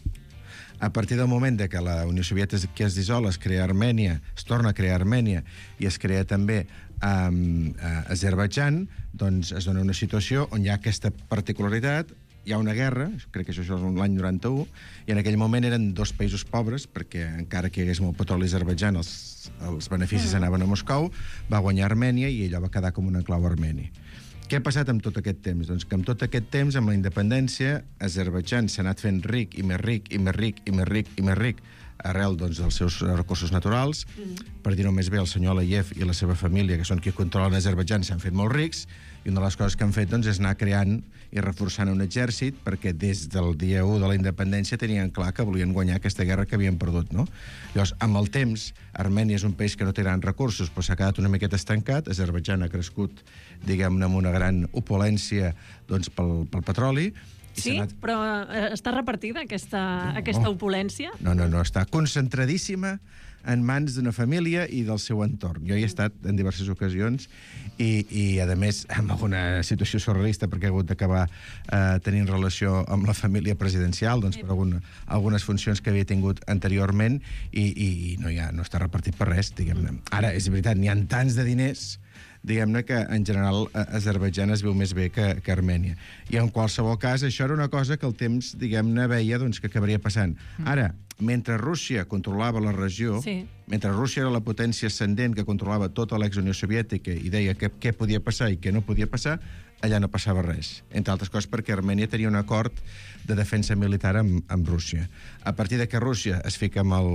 A partir del moment de que la Unió Soviètica es dissol, es crea Armènia, es torna a crear Armènia i es crea també um, a Azerbaidjan, doncs es dona una situació on hi ha aquesta particularitat, hi ha una guerra, crec que això és l'any noranta-u, i en aquell moment eren dos països pobres, perquè encara que hi hagués molt petroli a Azerbaidjan, els, els beneficis anaven a Moscou, va guanyar Armènia i allò va quedar com un enclau armeni. Què ha passat amb tot aquest temps? Doncs que amb tot aquest temps, amb la independència, Azerbaidjan s'ha anat fent ric i més ric i més ric i més ric i més ric arrel doncs, dels seus recursos naturals. Mm. Per dir-ho més bé, el senyor Aliyev i la seva família, que són qui controlen Azerbaidjan, s'han fet molt rics, i una de les coses que han fet doncs, és anar creant i reforçant un exèrcit, perquè des del dia u de la independència tenien clar que volien guanyar aquesta guerra que havien perdut, no? Llavors, amb el temps, Armènia és un país que no té grans recursos, però s'ha quedat una miqueta estancat. Azerbaidjan ha crescut, diguem-ne, amb una gran opulència doncs, pel, pel petroli. Sí, anat... però eh, està repartida aquesta, no, aquesta opulència? No, no, no, està concentradíssima en mans d'una família i del seu entorn. Jo hi he estat en diverses ocasions i, i a més, amb alguna situació surrealista, perquè he hagut d'acabar eh, tenint relació amb la família presidencial, doncs per alguna, algunes funcions que havia tingut anteriorment, i, i no, hi ha, no està repartit per res, diguem-ne. Ara, és veritat, n'hi ha tants de diners, diguem-ne que en general Azerbaidjan es veu més bé que, que Armènia. I en qualsevol cas, això era una cosa que el temps, diguem-ne, veia doncs, que acabaria passant. Ara, mentre Rússia controlava la regió, sí. mentre Rússia era la potència ascendent que controlava tota l'ex-Unió Soviètica i deia que, què podia passar i què no podia passar, allà no passava res. Entre altres coses perquè Armènia tenia un acord de defensa militar amb, amb Rússia. A partir de que Rússia es fica amb el...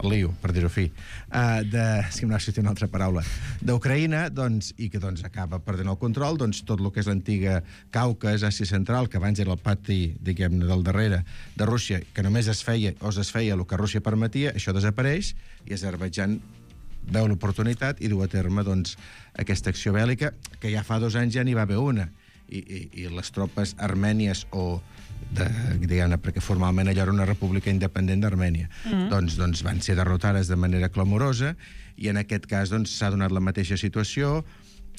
el lío, per dir-ho fi, uh, de, si m'ha sortit una altra paraula, d'Ucraïna, doncs, i que doncs, acaba perdent el control, doncs tot el que és l'antiga Caucas, Àsia Central, que abans era el pati, diguem-ne, del darrere de Rússia, que només es feia, o es feia el que Rússia permetia, això desapareix, i Azerbaidjan veu l'oportunitat i du a terme, doncs, aquesta acció bèl·lica, que ja fa dos anys ja n'hi va haver una, i, i, i les tropes armènies o de, diguem-ne, perquè formalment allò era una república independent d'Armènia, mm. doncs, doncs van ser derrotades de manera clamorosa, i en aquest cas doncs, s'ha donat la mateixa situació.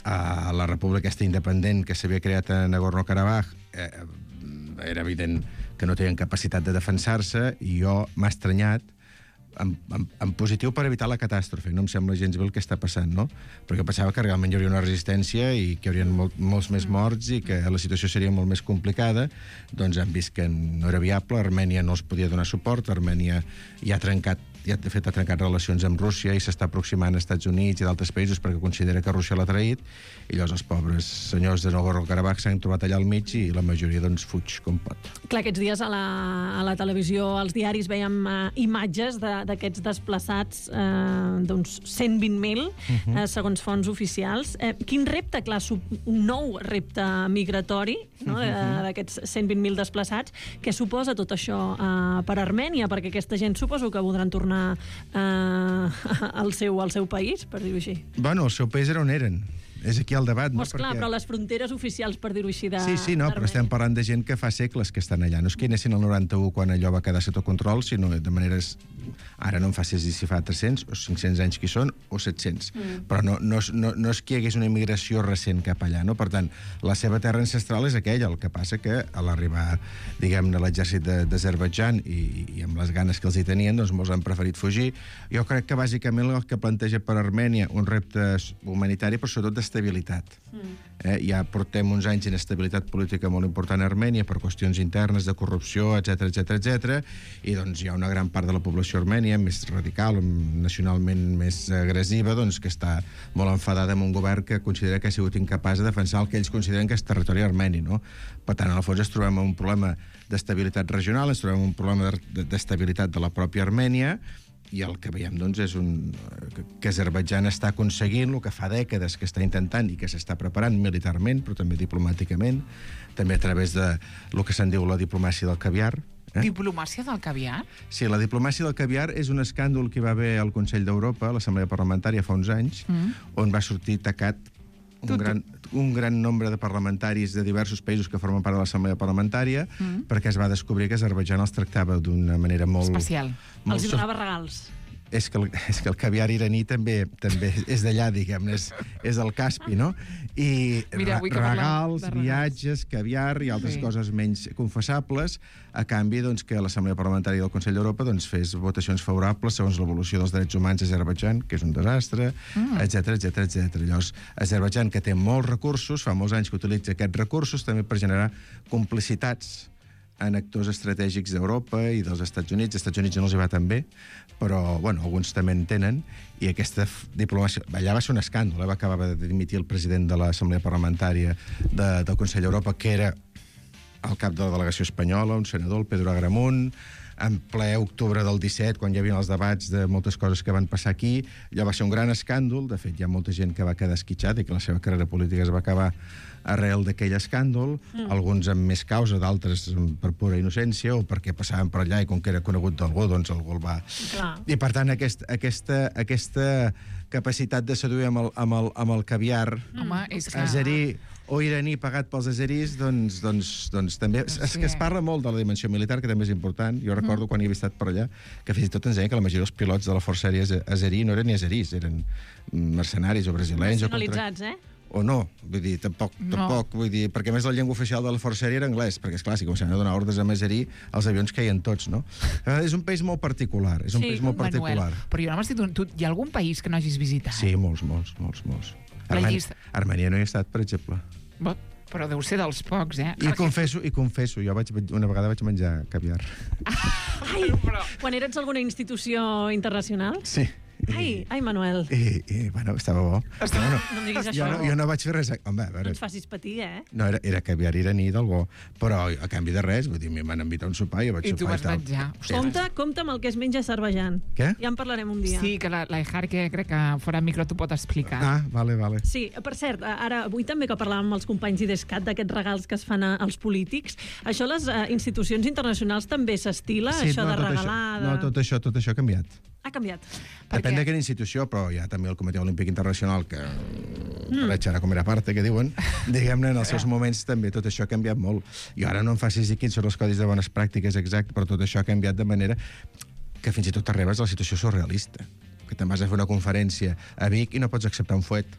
A la república aquesta independent que s'havia creat a Nagorno-Karabakh eh, era evident que no tenien capacitat de defensar-se, i jo m'ha estranyat en, en, en positiu per evitar la catàstrofe. No em sembla gens bé el que està passant, no? Perquè pensava que realment hi hauria una resistència i que hi haurien molt, molts més morts i que la situació seria molt més complicada. Doncs han vist que no era viable, Armènia no els podia donar suport, Armènia ja ha trencat ja de fet ha trencat relacions amb Rússia i s'està aproximant als Estats Units i d'altres països perquè considera que Rússia l'ha traït, i llavors els pobres senyors de Nagorno-Karabakh s'han trobat allà al mig i la majoria doncs fuig com pot. Clar, aquests dies a la, a la televisió, als diaris, veiem uh, imatges d'aquests de, desplaçats, uh, d'uns cent vint mil, uh-huh. uh, segons fonts oficials. Uh, quin repte, clar, un nou repte migratori, no? uh-huh. d'aquests cent vint mil desplaçats, què suposa tot això uh, per Armènia? Perquè aquesta gent suposo que voldran tornar Uh, al, seu, al seu país, per dir-ho així. Bueno, el seu país era on eren. És aquí el debat, no? Pues clar, Perquè... però les fronteres oficials, per dir-ho així, de... Sí, sí, no, però estem parlant de gent que fa segles que estan allà. No és que anessin al noranta-u quan allò va quedar sota control, sinó de maneres... Ara no em facis dir si fa tres-cents o cinc-cents anys que hi són, o set-cents. Mm. Però no, no, no, no és que hi hagués una immigració recent cap allà, no? Per tant, la seva terra ancestral és aquella. El que passa que a l'arribar, diguem-ne, l'exèrcit d'Azerbaidjan i, i amb les ganes que els hi tenien, doncs molts han preferit fugir. Jo crec que bàsicament el que planteja per Armènia un repte humanitari, però sobretot d'estabilitat. Mm. Eh, ja portem uns anys d'inestabilitat política molt important a Armènia per qüestions internes, de corrupció, etcètera, etcètera, etcètera, i doncs hi ha una gran part de la població armènia més radical, nacionalment més agressiva, doncs que està molt enfadada amb un govern que considera que ha sigut incapaç de defensar el que ells consideren que és territori armeni, no? Per tant, en el fons ens trobem un problema d'estabilitat regional, ens trobem un problema d'estabilitat de la pròpia Armènia, i el que veiem, doncs, és un... que Azerbaidjan està aconseguint el que fa dècades que està intentant i que s'està preparant militarment, però també diplomàticament, també a través de el que se'n diu la diplomàcia del caviar. Eh? Diplomàcia del caviar? Sí, la diplomàcia del caviar és un escàndol que hi va haver al Consell d'Europa, a l'Assemblea Parlamentària, fa uns anys, mm. on va sortir tacat un gran, un gran nombre de parlamentaris de diversos països que formen part de l'Assemblea Parlamentària, mm. perquè es va descobrir que Azerbaidjan els tractava d'una manera molt... especial. Molt els hi donava regals. és que el, és que el caviar iraní també també és d'allà, diguem-ne, és, és del Caspi, no? I Mira, avui que regals, parlem de regals. viatges, caviar i altres Sí. coses menys confessables, a canvi doncs, que l'Assemblea Parlamentària del Consell d'Europa doncs, fes votacions favorables segons l'evolució dels drets humans a Azerbaidjan, que és un desastre, Mm. etcètera, etcètera, etcètera. Llavors, Azerbaidjan, que té molts recursos, fa molts anys que utilitza aquests recursos també per generar complicitats en actors estratègics d'Europa i dels Estats Units. Els Estats Units no els hi va tan bé, però, bueno, alguns també en tenen, i aquesta f- diplomàcia... Allà va ser un escàndol, eh? Va acabar de dimitir el president de l'Assemblea Parlamentària de, del Consell d'Europa, que era el cap de la delegació espanyola, un senador, el Pedro Agramunt, en ple octubre del disset, quan hi havia els debats de moltes coses que van passar aquí. Allò va ser un gran escàndol. De fet, hi ha molta gent que va quedar esquitxada i que la seva carrera política es va acabar arrel d'aquell escàndol, mm. alguns amb més causa, d'altres per pura innocència, o perquè passaven per allà i com que era conegut d'algú, doncs algú el va... Clar. I, per tant, aquest, aquesta, aquesta capacitat de seduir amb el, amb el, amb el caviar Home, és que... azerí o iraní pagat pels azerís, doncs, doncs, doncs també... No És sé. que es parla molt de la dimensió militar, que també és important. Jo recordo quan hi havia estat per allà, que fins i tot ens deien que la majoria dels pilots de la Força Aèria azerí no eren ni azerís, eren mercenaris o brasilenys. O, contra... Nacionalitzats, eh? o no, vull dir, tampoc, No. tampoc, vull dir, perquè a més la llengua oficial de la Força Aèria era anglès, perquè és clar, si començaven a donar ordres a azerí, els avions caien tots, no? Eh, és un país molt particular, és un Sí, país molt particular. Manuel, però jo no m'estic... Tu, hi ha algun país que no hagis visitat? Sí, molts, molts, molts, molts. La Armènia, llista- Armènia no hi he estat, per exemple. Bo, però deu ser dels pocs, eh? I confesso, i confesso, jo vaig, una vegada vaig menjar caviar. Ai, quan eres alguna institució internacional? Sí. Ai, ai, Manuel. I, i bueno, estava bo. Estava... Bueno, No em diguis jo, això. no, jo no vaig fer res... Home, a No veure, ens facis patir, eh? no, era, era caviar iraní del bo, però a canvi de res, vull dir, m'hi van invitar a un sopar i jo vaig I tu sopar vas i tal. menjar. Sí. Compte, compte amb el que es menja a Azerbaidjan. Què? Ja en parlarem un dia. Sí, que la, la Ejar, que crec que fora micro t'ho pot explicar. Ah, vale, vale. Sí, per cert, ara, avui també que parlàvem amb els companys d'IDESCAT d'aquests regals que es fan a, als polítics, això a les uh, institucions internacionals també s'estila, Sí, això no, de tot regalar... Això, de... no, tot això, tot això ha canviat. Ha canviat. Depèn de quina institució, però hi ha també el Comitè Olímpic Internacional, que mm. per echar a comer a parte, que diuen, diguem-ne, en els seus moments també tot això ha canviat molt. I ara no em facis dir quins són els codis de bones pràctiques exactes, però tot això ha canviat de manera que fins i tot arribes a la situació surrealista. Que te'n vas a fer una conferència a Vic i no pots acceptar un fuet.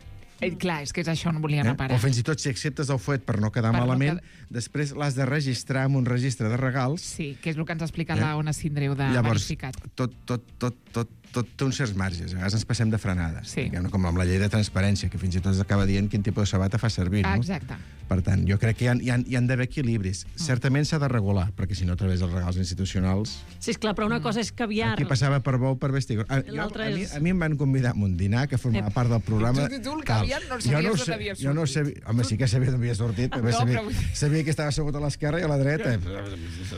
Eh, clar, és que és això on volia anar a Eh? parar. O fins i tot si acceptes el fuet per no quedar Per no malament, quedar- després l'has de registrar en un registre de regals. Sí, que és el que ens explica Eh? la Ona Sindreu de Llavors, Verificat. tot, tot, tot, tot, tot té uns certs marges. A vegades ens passem de frenades. Sí. Diguem-ne, com amb la llei de transparència, que fins i tot acaba dient quin tipus de sabata fa servir. Ah, No? exacte. Per tant, jo crec que hi ha, hi ha, hi han d'haver equilibris. Mm. Certament s'ha de regular, perquè si no, a través dels regals institucionals... Sí, esclar, però una cosa és caviar. Aquí passava per bou, per vestir... A, jo, L'altre a, mi, és- a mi em van convidar a un dinar que formava part del programa... Tu- tu- tu el tal. caviar no Jo sabies ho d'on sé- havia Jo no sortit. sabia... Home, sí que sabia d'on havia sortit. També No, sabia, però vull dir- sabia que estava assegut a l'esquerra i a la dreta.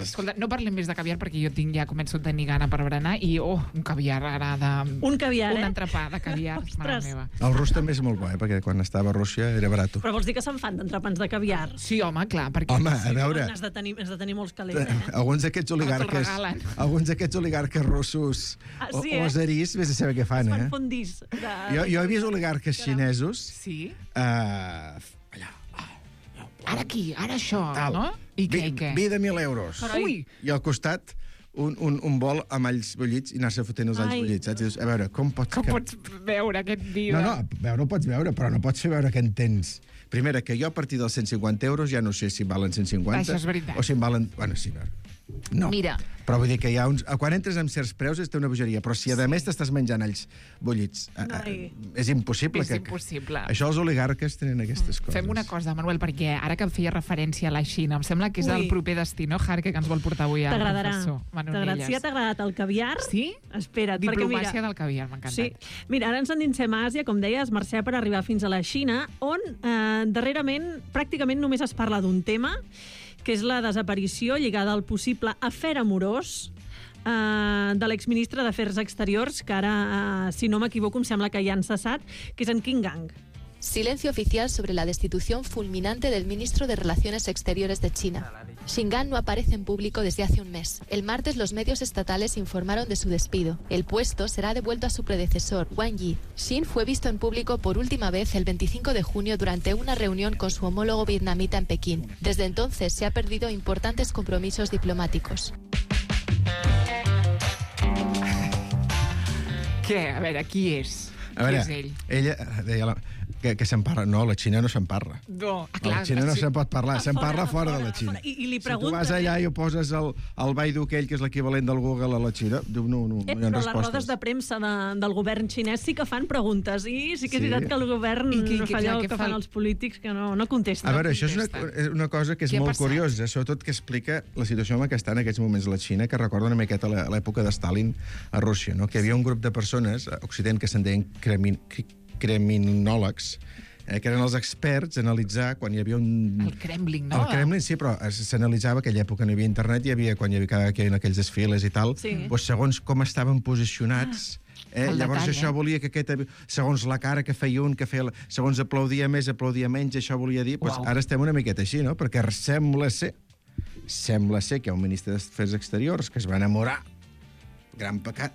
Escolta, no parlem més de caviar perquè jo tinc ja començo a tenir gana per berenar i, oh, un caviar ara de... Un caviar, un eh? entrepà de caviar, mare Ostres. meva. El rus també és molt bo, eh? Perquè quan estava a Rússia era barat. Però vols dir que se'n fan d'entrepans de caviar? Sí, home, clar, perquè... Home, a veure... Has de tenir, has de tenir molts calés, eh? Alguns d'aquests oligarques... regalen. Alguns d'aquests oligarques russos Ah, o, sí, o eh? azerís, vés a saber què fan, Es fan eh? fondis. De... Jo, jo he vist oligarques xinesos... Sí? Uh, Ara aquí, ara això, tal. no? I què, i què? Vi de mil euros. Carai. Ui. I al costat un, un, un bol amb alls bullits i anar-se fotent els alls Ai. bullits, saps? I dius, a veure, com pots... Com que- pots veure aquest vídeo? No, no, veure ho pots veure, però no pots fer veure que en tens. Primera, que jo a partir dels cent cinquanta euros ja no sé si valen cent cinquanta... Això és veritat. O si en valen... Bueno, sí, a veure. No. Mira. Però vull dir que hi ha uns... Quan entres amb certs preus és una bogeria, però si a sí. més t'estàs menjant alls bullits, a, a, Ai. és impossible. És que, impossible. Això els oligarques tenen aquestes coses. Fem una cosa, Manuel, perquè ara que em feia referència a la Xina, em sembla que és Ui. el proper destí, no, Jarque, que ens vol portar avui el T'agradarà. professor T'agrada- Manonelles. Si ja t'ha agradat el caviar, Sí? espera't. Diplomàcia perquè mira, del caviar, m'ha encantat. Sí. Mira, ara ens endinsem a Àsia, com deies, Mercè, per arribar fins a la Xina, on eh, darrerament pràcticament només es parla d'un tema, que és la desaparició lligada al possible afer amorós eh, de l'exministre d'Afers Exteriors, que ara, eh, si no m'equivoco, em sembla que ja han cessat, que és en Qin Gang. Silencio oficial sobre la destitución fulminante del ministro de Relaciones Exteriores de China. Xi Gang no aparece en público desde hace un mes. El martes los medios estatales informaron de su despido. El puesto será devuelto a su predecesor, Wang Yi. Xin fue visto en público por última vez el veinticinco de junio durante una reunión con su homólogo vietnamita en Pekín. Desde entonces se ha perdido importantes compromisos diplomáticos. Què? A veure, qui és? A veure, qui és ell? ella deia la, que, que se'n parla. No, la Xina no se'n parla. No, ah, A clar. la Xina no sí. se'n pot parlar, se'n fora, parla a fora fora, de la a Xina. fora. I- i li Si tu pregunten, vas allà eh? i ho poses el, el Baidu aquell, que és l'equivalent del Google a la Xina, diu no, no, Eh, no hi ha però les rodes respostes. de premsa de, del govern xinès sí que fan preguntes i sí que és Sí. veritat que el govern I qui- no qui- fa allò què que fa fan el- els polítics, que no, no contesten. A veure, això és una, contesta. és una cosa que és Què ha molt passat? curiosa, sobretot que explica la situació en la que està en aquests moments la Xina, que recorda una miqueta la- l'època de Stalin a Rússia, no? Que hi havia un grup de persones a Occident que se'n deien cremin, cri- criminòlegs, eh, que eren els experts a analitzar quan hi havia un... El Kremlin, no? El Kremlin, sí, però es- s'analitzava aquella època no hi havia internet, hi havia, quan hi havia, cada, que hi havia aquells desfiles i tal, Sí. doncs segons com estaven posicionats, eh, el llavors detall, això eh? volia que aquest, segons la cara que feia un, que feia, la- segons aplaudia més, aplaudia menys, això volia dir, doncs Uau. ara estem una miqueta així, no? Perquè sembla ser, sembla ser que hi ha un ministre d'Afers Exteriors que es va enamorar, gran pecat,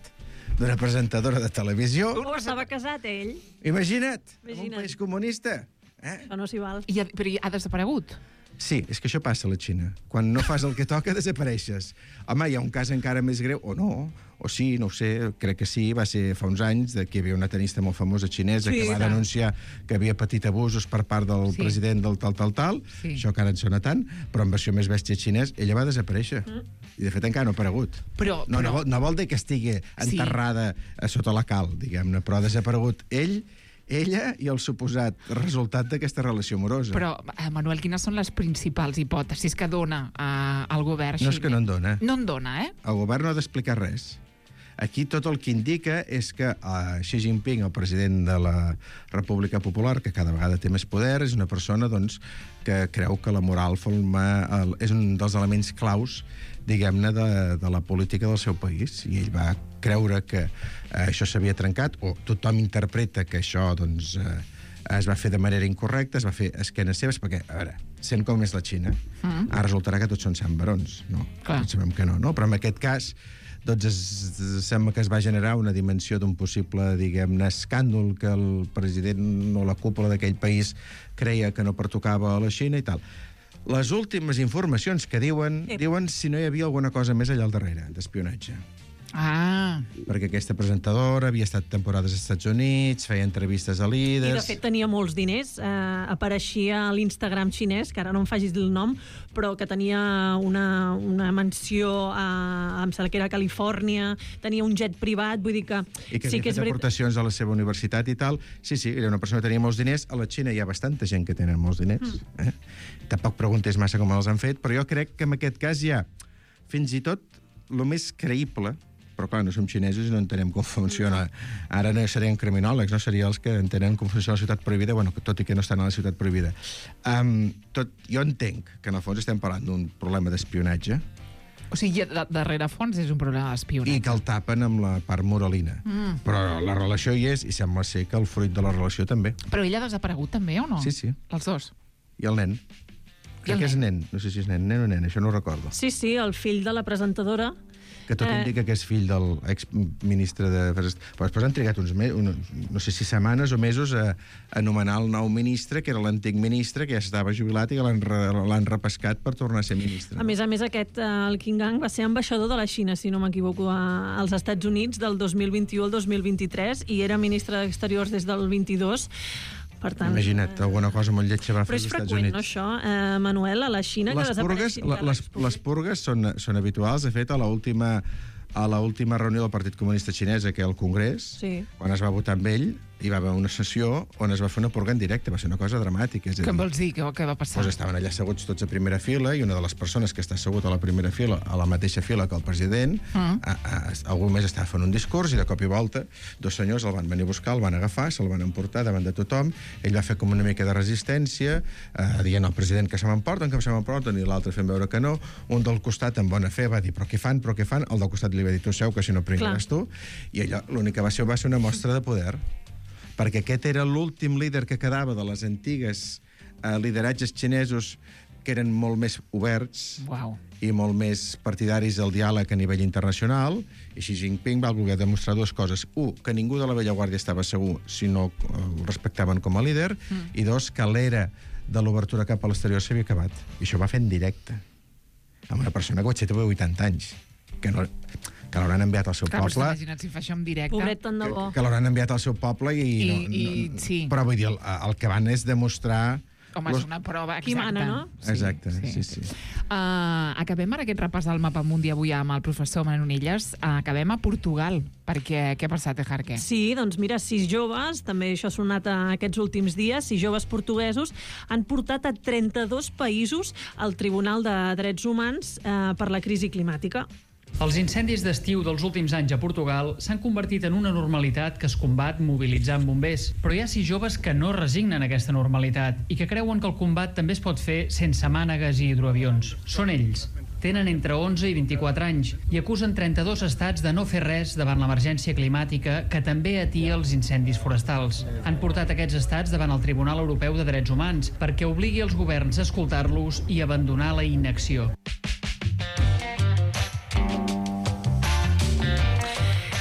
d'una presentadora de televisió. O estava casat, ell. Imagina't, en un Imagina't. país comunista. Eh? Això no s'hi val. I ha, però ha desaparegut? Sí, és que això passa a la Xina. Quan no fas el que toca, desapareixes. Home, hi ha un cas encara més greu, o no, o sí, no ho sé, crec que sí, va ser fa uns anys, de que hi havia una tenista molt famosa xinesa Sí, que va tant. denunciar que havia patit abusos per part del Sí. president del tal, tal, tal, Sí. això que ara en sona tant, però en versió més bèstia xinès, ella va desaparèixer. Mm. I, de fet, encara no ha aparegut. Però- no, però- no, vol, no vol dir que estigui enterrada a sota la cal, diguem-ne, però ha desaparegut ell, ella i el suposat resultat d'aquesta relació amorosa. Però, eh, Manuel, quines són les principals hipòtesis que dona eh, el govern No és que no en dona. No en dona, eh? El govern no ha d'explicar res. Aquí tot el que indica és que uh, Xi Jinping, el president de la República Popular, que cada vegada té més poder, és una persona doncs, que creu que la moral forma, el, és un dels elements claus, diguem-ne, de, de la política del seu país. I ell va creure que uh, això s'havia trencat, o tothom interpreta que això doncs, uh, es va fer de manera incorrecta, es va fer a esquenes seves, perquè, a veure, sent com és la Xina, mm. ara resultarà que tots són sant barons, no? Clar. Tots sabem que no, no? Però en aquest cas doncs es, es, sembla que es va generar una dimensió d'un possible, diguem-ne, escàndol que el president o la cúpula d'aquell país creia que no pertocava a la Xina i tal. Les últimes informacions que diuen, Ep. diuen si no hi havia alguna cosa més allà al darrere, d'espionatge. Ah, Perquè aquesta presentadora havia estat temporades als Estats Units, feia entrevistes a I, líders... de fet, tenia molts diners. Eh, apareixia a l'Instagram xinès, que ara no em facis el nom, però que tenia una, una mansió a, em sembla que era a Califòrnia, tenia un jet privat, vull dir que... I que sí havia que és fet veritat. aportacions a la seva universitat i tal. Sí, sí, era una persona que tenia molts diners. A la Xina hi ha bastanta gent que tenen molts diners. Mm. Eh? Tampoc preguntes massa com els han fet, però jo crec que en aquest cas hi ha, fins i tot, el més creïble, però clar, no som xinesos i no entenem com funciona. Ara no serien criminòlegs, no? Serien els que entenen com funciona la ciutat prohibida, bueno, tot i que no estan a la ciutat prohibida. Um, tot, jo entenc que en el fons estem parlant d'un problema d'espionatge o sigui, de, darrere fons és un problema d'espionatge. i que el tapen amb la part moralina. Mm. Però la relació hi és i sembla ser que el fruit de la relació també. Però ell ha desaparegut també, o no? Sí, sí. Els dos? I el nen. I el Crec que és nen? nen. No sé si és nen, nen o nen, això no ho recordo. Sí, sí, el fill de la presentadora. Que tot Eh. indica que és fill del exministre de... Però després han trigat uns mesos, no sé si setmanes o mesos a, a nomenar el nou ministre, que era l'antic ministre, que ja estava jubilat i que l'han re, l'han repescat per tornar a ser ministre. A més a més, aquest, eh, el Qin Gang, va ser ambaixador de la Xina, si no m'equivoco, a- als Estats Units del dos mil vint-i-u al dos mil vint-i-tres i era ministre d'Exteriors des del vint-i-dos. Per tant, Imagina't, alguna cosa molt lletja va fer però als és Estats freqüent, Units. no, això, eh, Manuel, a la Xina, que Les purgues, desapareixin la, de les, l'Expo. les purgues són, són habituals. De fet, a l'última a l'última reunió del Partit Comunista Xinès, que al Congrés, Sí. quan es va votar amb ell, hi va haver una sessió on es va fer una purga en directe. Va ser una cosa dramàtica. És a Què dir, em vols dir? Què, què va passar? Doncs estaven allà asseguts tots a primera fila i una de les persones que està assegut a la primera fila, a la mateixa fila que el president, Mm. a, a, algú més estava fent un discurs i de cop i volta dos senyors el van venir a buscar, el van agafar, se'l van emportar davant de tothom. Ell va fer com una mica de resistència, eh, dient al president que se m'emporten, que se m'emporten, i l'altre fent veure que no. Un del costat, amb bona fe, va dir, però què fan, però què fan? El del costat li va dir, tu seu, que si no pringaràs tu. I allò, l'únic que va ser va ser una mostra de poder, perquè aquest era l'últim líder que quedava de les antigues eh, lideratges xinesos que eren molt més oberts Uau. i molt més partidaris del diàleg a nivell internacional, i Xi Jinping va voler demostrar dues coses. Un, que ningú de la vella guàrdia estava segur si no el respectaven com a líder, mm. i dos, que l'era de l'obertura cap a l'exterior s'havia acabat. I això va fer en directe. Amb una persona que vaig ser vuitanta anys. Que no... que l'hauran enviat al seu Clar, poble. Clar, imagina't si fa això en directe. Pobret, tant de bo. Que, que l'hauran enviat al seu poble i... I, no, i, no, sí. Però vull dir, el, el que van és demostrar... Home, és una prova exacta. Qui mana, no? Sí, Exacte, sí, sí. sí. Uh, acabem ara aquest repàs del mapa mundi avui amb el professor Manonilles. Uh, acabem a Portugal, perquè què ha passat, Ejarque? Sí, doncs mira, sis joves, també això ha sonat aquests últims dies, sis joves portuguesos han portat a trenta-dos països al Tribunal de Drets Humans eh, per la crisi climàtica. Els incendis d'estiu dels últims anys a Portugal s'han convertit en una normalitat que es combat mobilitzant bombers. Però hi ha sis joves que no resignen aquesta normalitat i que creuen que el combat també es pot fer sense mànegues i hidroavions. Són ells. Tenen entre onze i vint-i-quatre anys i acusen trenta-dos estats de no fer res davant l'emergència climàtica que també atia els incendis forestals. Han portat aquests estats davant el Tribunal Europeu de Drets Humans perquè obligui els governs a escoltar-los i abandonar la inacció.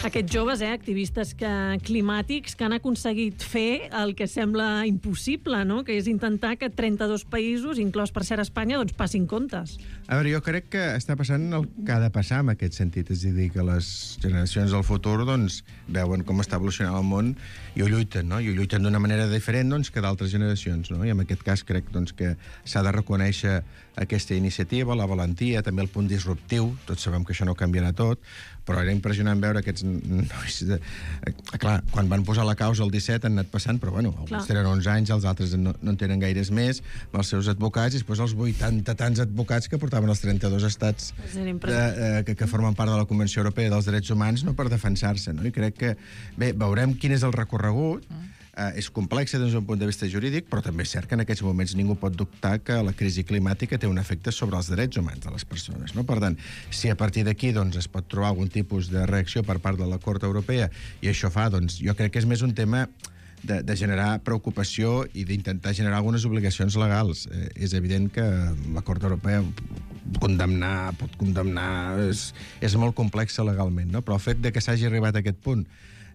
Aquests joves, eh, activistes que, climàtics, que han aconseguit fer el que sembla impossible, no? Que és intentar que trenta-dos països, inclòs per ser Espanya, doncs passin comptes. A veure, jo crec que està passant el que ha de passar en aquest sentit, és a dir, que les generacions del futur doncs, veuen com està evolucionant el món i ho lluiten, no? I ho lluiten d'una manera diferent doncs, que d'altres generacions, no? I en aquest cas crec doncs, que s'ha de reconèixer aquesta iniciativa, la valentia, també el punt disruptiu, tots sabem que això no canviarà tot, però era impressionant veure aquests nois... De... Clar, quan van posar la causa el disset han anat passant, però bueno, alguns tenen onze anys, els altres no, no en tenen gaires més, amb els seus advocats, i després els vuitanta tants advocats que portaven els trenta-dos estats de, eh, que, que formen part de la Convenció Europea dels Drets Humans, no per defensar-se, no? I crec que, bé, veurem quin és el recorregut. Uh, és complexa des d'un punt de vista jurídic, però també és cert que en aquests moments ningú pot dubtar que la crisi climàtica té un efecte sobre els drets humans de les persones, no? Per tant, si a partir d'aquí doncs, es pot trobar algun tipus de reacció per part de la Cort Europea, i això fa, doncs, jo crec que és més un tema de, de generar preocupació i d'intentar generar algunes obligacions legals. Eh, és evident que la Cort Europea condemnar, pot condemnar, és, és molt complexa legalment, no? Però el fet de que s'hagi arribat a aquest punt,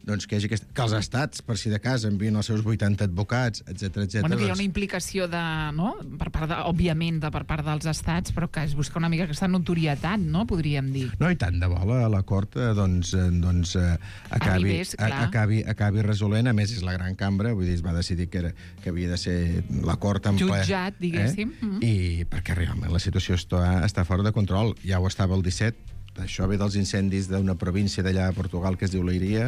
doncs que, hi hagi aquest... que els estats, per si de cas, envien els seus vuitanta advocats, etcètera, etcètera. Bueno, que hi ha doncs... una implicació, de, no? per part de, òbviament, de, per part dels estats, però que es busca una mica aquesta notorietat, no? Podríem dir. No, i tant de bo la, la Cort eh, doncs, eh, doncs, eh, acabi, Arribés, a, acabi, acabi resolent. A més, és la gran cambra, vull dir, es va decidir que, era, que havia de ser la Cort en ple... Jutjat, diguéssim. Eh? Mm -hmm. I perquè realment la situació està, està fora de control. Ja ho estava el disset, això ve dels incendis d'una província d'allà a Portugal que es diu Leiria,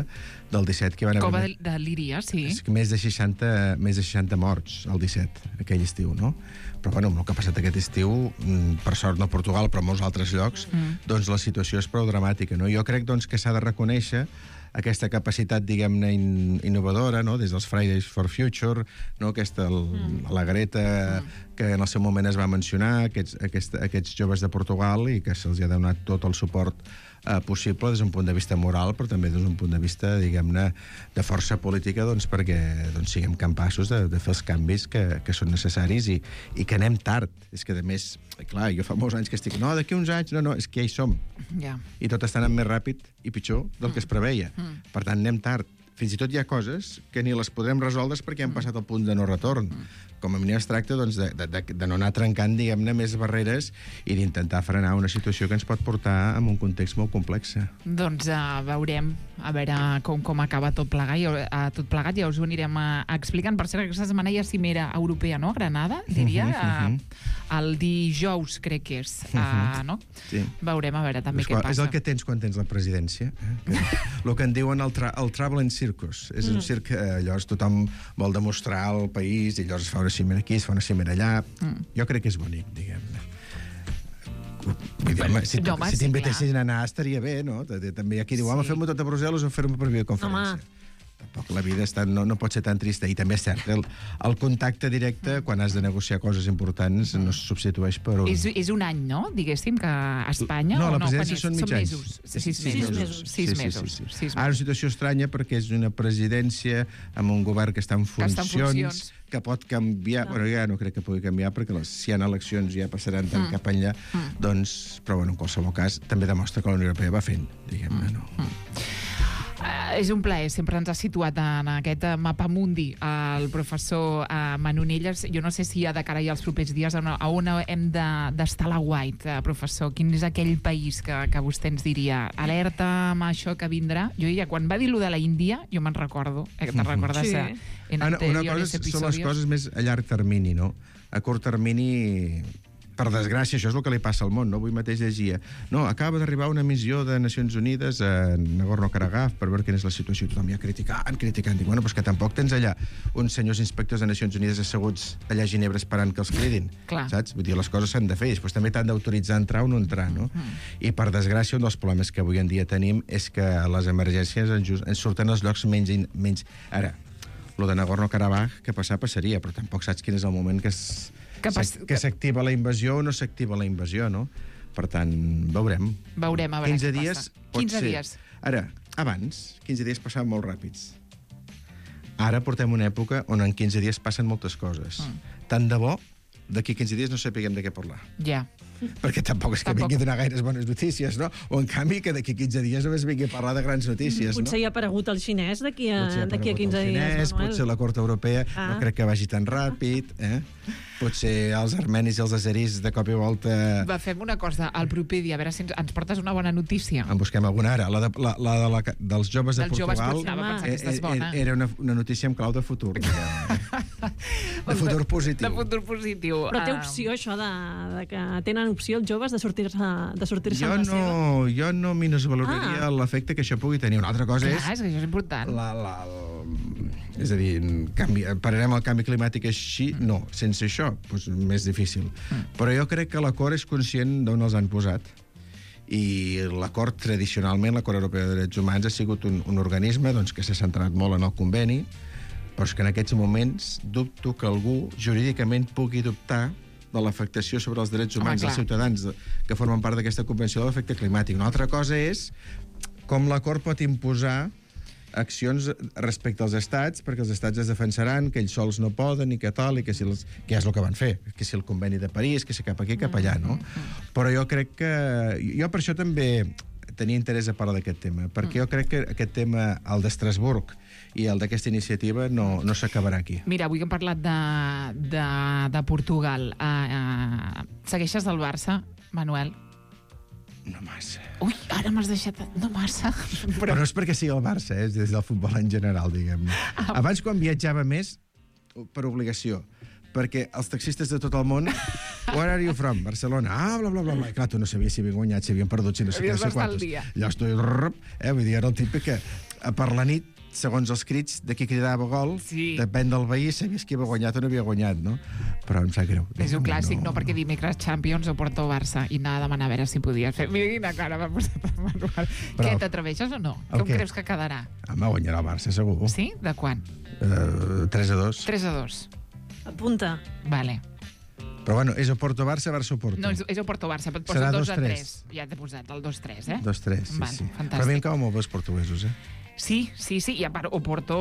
del disset que van haver... Cova de, de Líria, sí. Més de seixanta, més de seixanta morts el disset, aquell estiu, no? Però, bueno, amb el que ha passat aquest estiu, per sort no a Portugal, però a molts altres llocs, mm. doncs la situació és prou dramàtica, no? Jo crec, doncs, que s'ha de reconèixer aquesta capacitat, diguem-ne, in, innovadora, no? Des dels Fridays for Future, no? Aquesta, el, mm. la Greta, mm. que en el seu moment es va mencionar, aquests, aquest, aquests joves de Portugal, i que se'ls ha donat tot el suport eh, possible des d'un punt de vista moral, però també des d'un punt de vista, diguem-ne, de força política, doncs, perquè doncs, siguem capaços de, de fer els canvis que, que són necessaris i, i que anem tard. És que, a més, clar, jo fa molts anys que estic... No, d'aquí uns anys, no, no, és que ja hi som. Yeah. I tot està anant més ràpid i pitjor del que es preveia. Mm. Per tant, anem tard. Fins i tot hi ha coses que ni les podrem resoldre perquè han passat el punt de no retorn. Com a mínim es tracta doncs, de, de, de no anar trencant, diguem-ne, més barreres i d'intentar frenar una situació que ens pot portar en un context molt complex. Doncs uh, veurem a veure com, com acaba tot plegat. I, uh, tot plegat ja us ho anirem uh, explicant. Per cert, aquesta setmana hi ha cimera europea, no? A Granada, diria. Uh, uh, el dijous, crec que és. Uh, no? Sí. Veurem a veure també és, què passa. És el que tens quan tens la presidència. Eh? Que, el que en diuen el, tra el traveling circus. És mm. un circ que eh, llavors tothom vol demostrar al país i llavors es fa una cimera aquí, es fa una cimera allà. Mm. Jo crec que és bonic, diguem-ne. Si, no, si t'invitessin a anar estaria bé, no? També hi ha qui diu, home, sí. fem-ho tot a Brussel·les o fem-ho per videoconferència. Home. Tampoc la vida està, no, no pot ser tan trista. I també és cert, el, el contacte directe, quan has de negociar coses importants, no es substitueix per un... És, és un any, no? Diguéssim, que a Espanya... No, o la no, presidència són mig anys. Mesos. Sis, sis mesos. mesos. Sis sí, mesos. Sí, sí, sí. Sis Ara, una situació estranya perquè és una presidència amb un govern que està en funcions, que, està en funcions. que pot canviar... No. Bueno, ja no crec que pugui canviar, perquè les, si hi ha eleccions ja passaran tant mm. cap enllà. Mm. Doncs, però bueno, en qualsevol cas, també demostra que la Unió Europea va fent, diguem-ne, no? Mm. Uh, és un plaer, sempre ens ha situat en aquest mapa mundi el professor uh, Manonelles. Jo no sé si ha de cara ja els propers dies a, una, a on hem d'estar de, a la White, uh, professor. Quin és aquell país que, que vostè ens diria alerta amb això que vindrà? Jo ja, quan va dir lo de la Índia, jo me'n recordo, eh, te'n recordes sí. en Ana, anteriores una cosa episodios. Són les coses més a llarg termini, no? A curt termini, per desgràcia, això és el que li passa al món, no? Avui mateix llegia, no, acaba d'arribar una missió de Nacions Unides a Nagorno-Karabakh per veure quina és la situació. Tothom ja criticant, criticant. Dic, bueno, però és que tampoc tens allà uns senyors inspectors de Nacions Unides asseguts allà a Ginebra esperant que els cridin. Clar. Saps? Vull dir, les coses s'han de fer, i després també t'han d'autoritzar a entrar o no entrar, no? Mm. I per desgràcia, un dels problemes que avui en dia tenim és que les emergències ens, ens surten als llocs menys... menys... Ara, lo de Nagorno-Karabakh, que passar, passaria, però tampoc saps quin és el moment que es... que s'activa la invasió o no s'activa la invasió, no? Per tant, veurem. Veurem, a veure quinze què dies, passa. Pot quinze ser. dies. Ara, abans, quinze dies passaven molt ràpids. Ara portem una època on en quinze dies passen moltes coses. Mm. Tant de bo, d'aquí quinze dies no sapiguem de què parlar. Ja. Perquè tampoc és que tampoc. vingui a donar gaires bones notícies, no? O, en canvi, que d'aquí quinze dies només vingui a parlar de grans notícies, potser no? Potser hi ha aparegut el xinès d'aquí a, a quinze xinès, dies, Manuel. Potser la Cort Europea, ah. no crec que vagi tan ràpid, eh? Potser els armenis i els azeris de cop i volta... Va, fem una cosa, al proper dia, a veure si ens, ens portes una bona notícia. En busquem alguna ara. La, de, la, la, de la dels joves de dels Portugal joves, anava a pensar que aquesta és bona. Era una, una notícia amb clau de futur. De, de futur positiu. De futur positiu. Però té opció, això, de, de que tenen opció els joves de sortir-se de sortir-se jo amb la no, seva? Jo no minusvaloraria ah. l'efecte que això pugui tenir. Una altra cosa Clar, és... és que això és important. La, la, la, és a dir, canvi, pararem el canvi climàtic així? Mm. No. Sense això, doncs, més difícil. Mm. Però jo crec que l'acord és conscient d'on els han posat. I l'acord, tradicionalment, l'Acord Europeu de Drets Humans ha sigut un, un organisme doncs, que s'ha centrat molt en el conveni, però és que en aquests moments dubto que algú jurídicament pugui dubtar de l'afectació sobre els drets humans Home, dels ciutadans que formen part d'aquesta Convenció de l'Efecte Climàtic. Una altra cosa és com l'acord pot imposar accions respecte als estats, perquè els estats es defensaran, que ells sols no poden, i que tal, i que, si els, que és el que van fer, que si el conveni de París, que si cap aquí, cap allà, no? Però jo crec que... Jo per això també tenia interès a parlar d'aquest tema, perquè jo crec que aquest tema, el d'Estrasburg i el d'aquesta iniciativa, no, no s'acabarà aquí. Mira, avui que hem parlat de, de, de Portugal, uh, uh, segueixes del Barça, Manuel? No massa. Ui, ara m'has deixat... No massa. Però... Però no és perquè sigui el Barça, eh? És des del futbol en general, diguem-ne. Ah. Abans, quan viatjava més, per obligació, perquè els taxistes de tot el món... Where are you from? Barcelona. Ah, bla, bla, bla, bla. I clar, tu no sabies si havien guanyat, si havien perdut, si no sé què, no sé quantos. Allò estoy... Eh? Vull dir, era el típic que per la nit, segons els crits de qui cridava gol, sí. Depèn del veí, sabies qui havia guanyat o no havia guanyat, no? Però em sap greu. És un clàssic, no? no? Perquè dimecres Champions o Porto-Barça i anava a demanar a veure si podies fer. Mira quina cara m'ha posat el Manuel. Però... Què, t'atreveixes o no? Com què? Creus que quedarà? Home, guanyarà el Barça, segur. Sí? De quan? Uh, tres a dos. tres a dos. Apunta. Vale. Però bueno, és o Porto-Barça, Barça-Porto. No, és, és o Porto-Barça, et posa dos a tres. Ja t'he posat el dos tres, eh? dos tres, sí, vale, sí. Fantàstic. Però a mi em cauen molt bé els portuguesos, eh? Sí, sí, sí, i a part, Oporto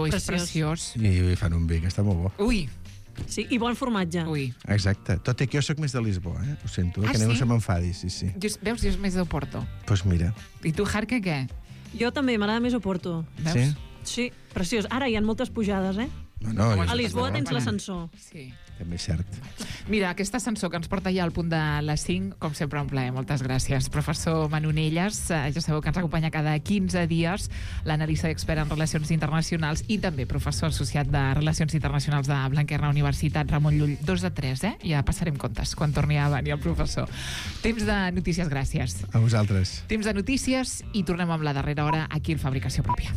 és preciós. I fan un vi, que està molt bo. Ui. Sí, i bon formatge. Ui. Exacte. Tot i que jo sóc més de Lisboa, eh? Ho sento, eh? Ah, que ningú sí? se m'enfadi, sí, sí. Just, veus, jo és més d'Oporto. Doncs pues mira. I tu, Jarque, què? Jo també, m'agrada més Oporto. Veus? Sí? Sí, preciós. Ara hi ha moltes pujades, eh? No, no, a Lisboa tens l'ascensor. Sí. També és cert. Mira, aquest ascensor que ens porta ja al punt de les cinc, com sempre un plaer, moltes gràcies. Professor Manonelles, ja sabeu que ens acompanya cada quinze dies, l'analista expert en relacions internacionals i també professor associat de Relacions Internacionals de Blanquerna Universitat, Ramon Llull. Dos de tres, eh? Ja passarem comptes quan torni a venir el professor. Temps de notícies, gràcies. A vosaltres. Temps de notícies i tornem amb la darrera hora aquí al Fabricació Pròpia.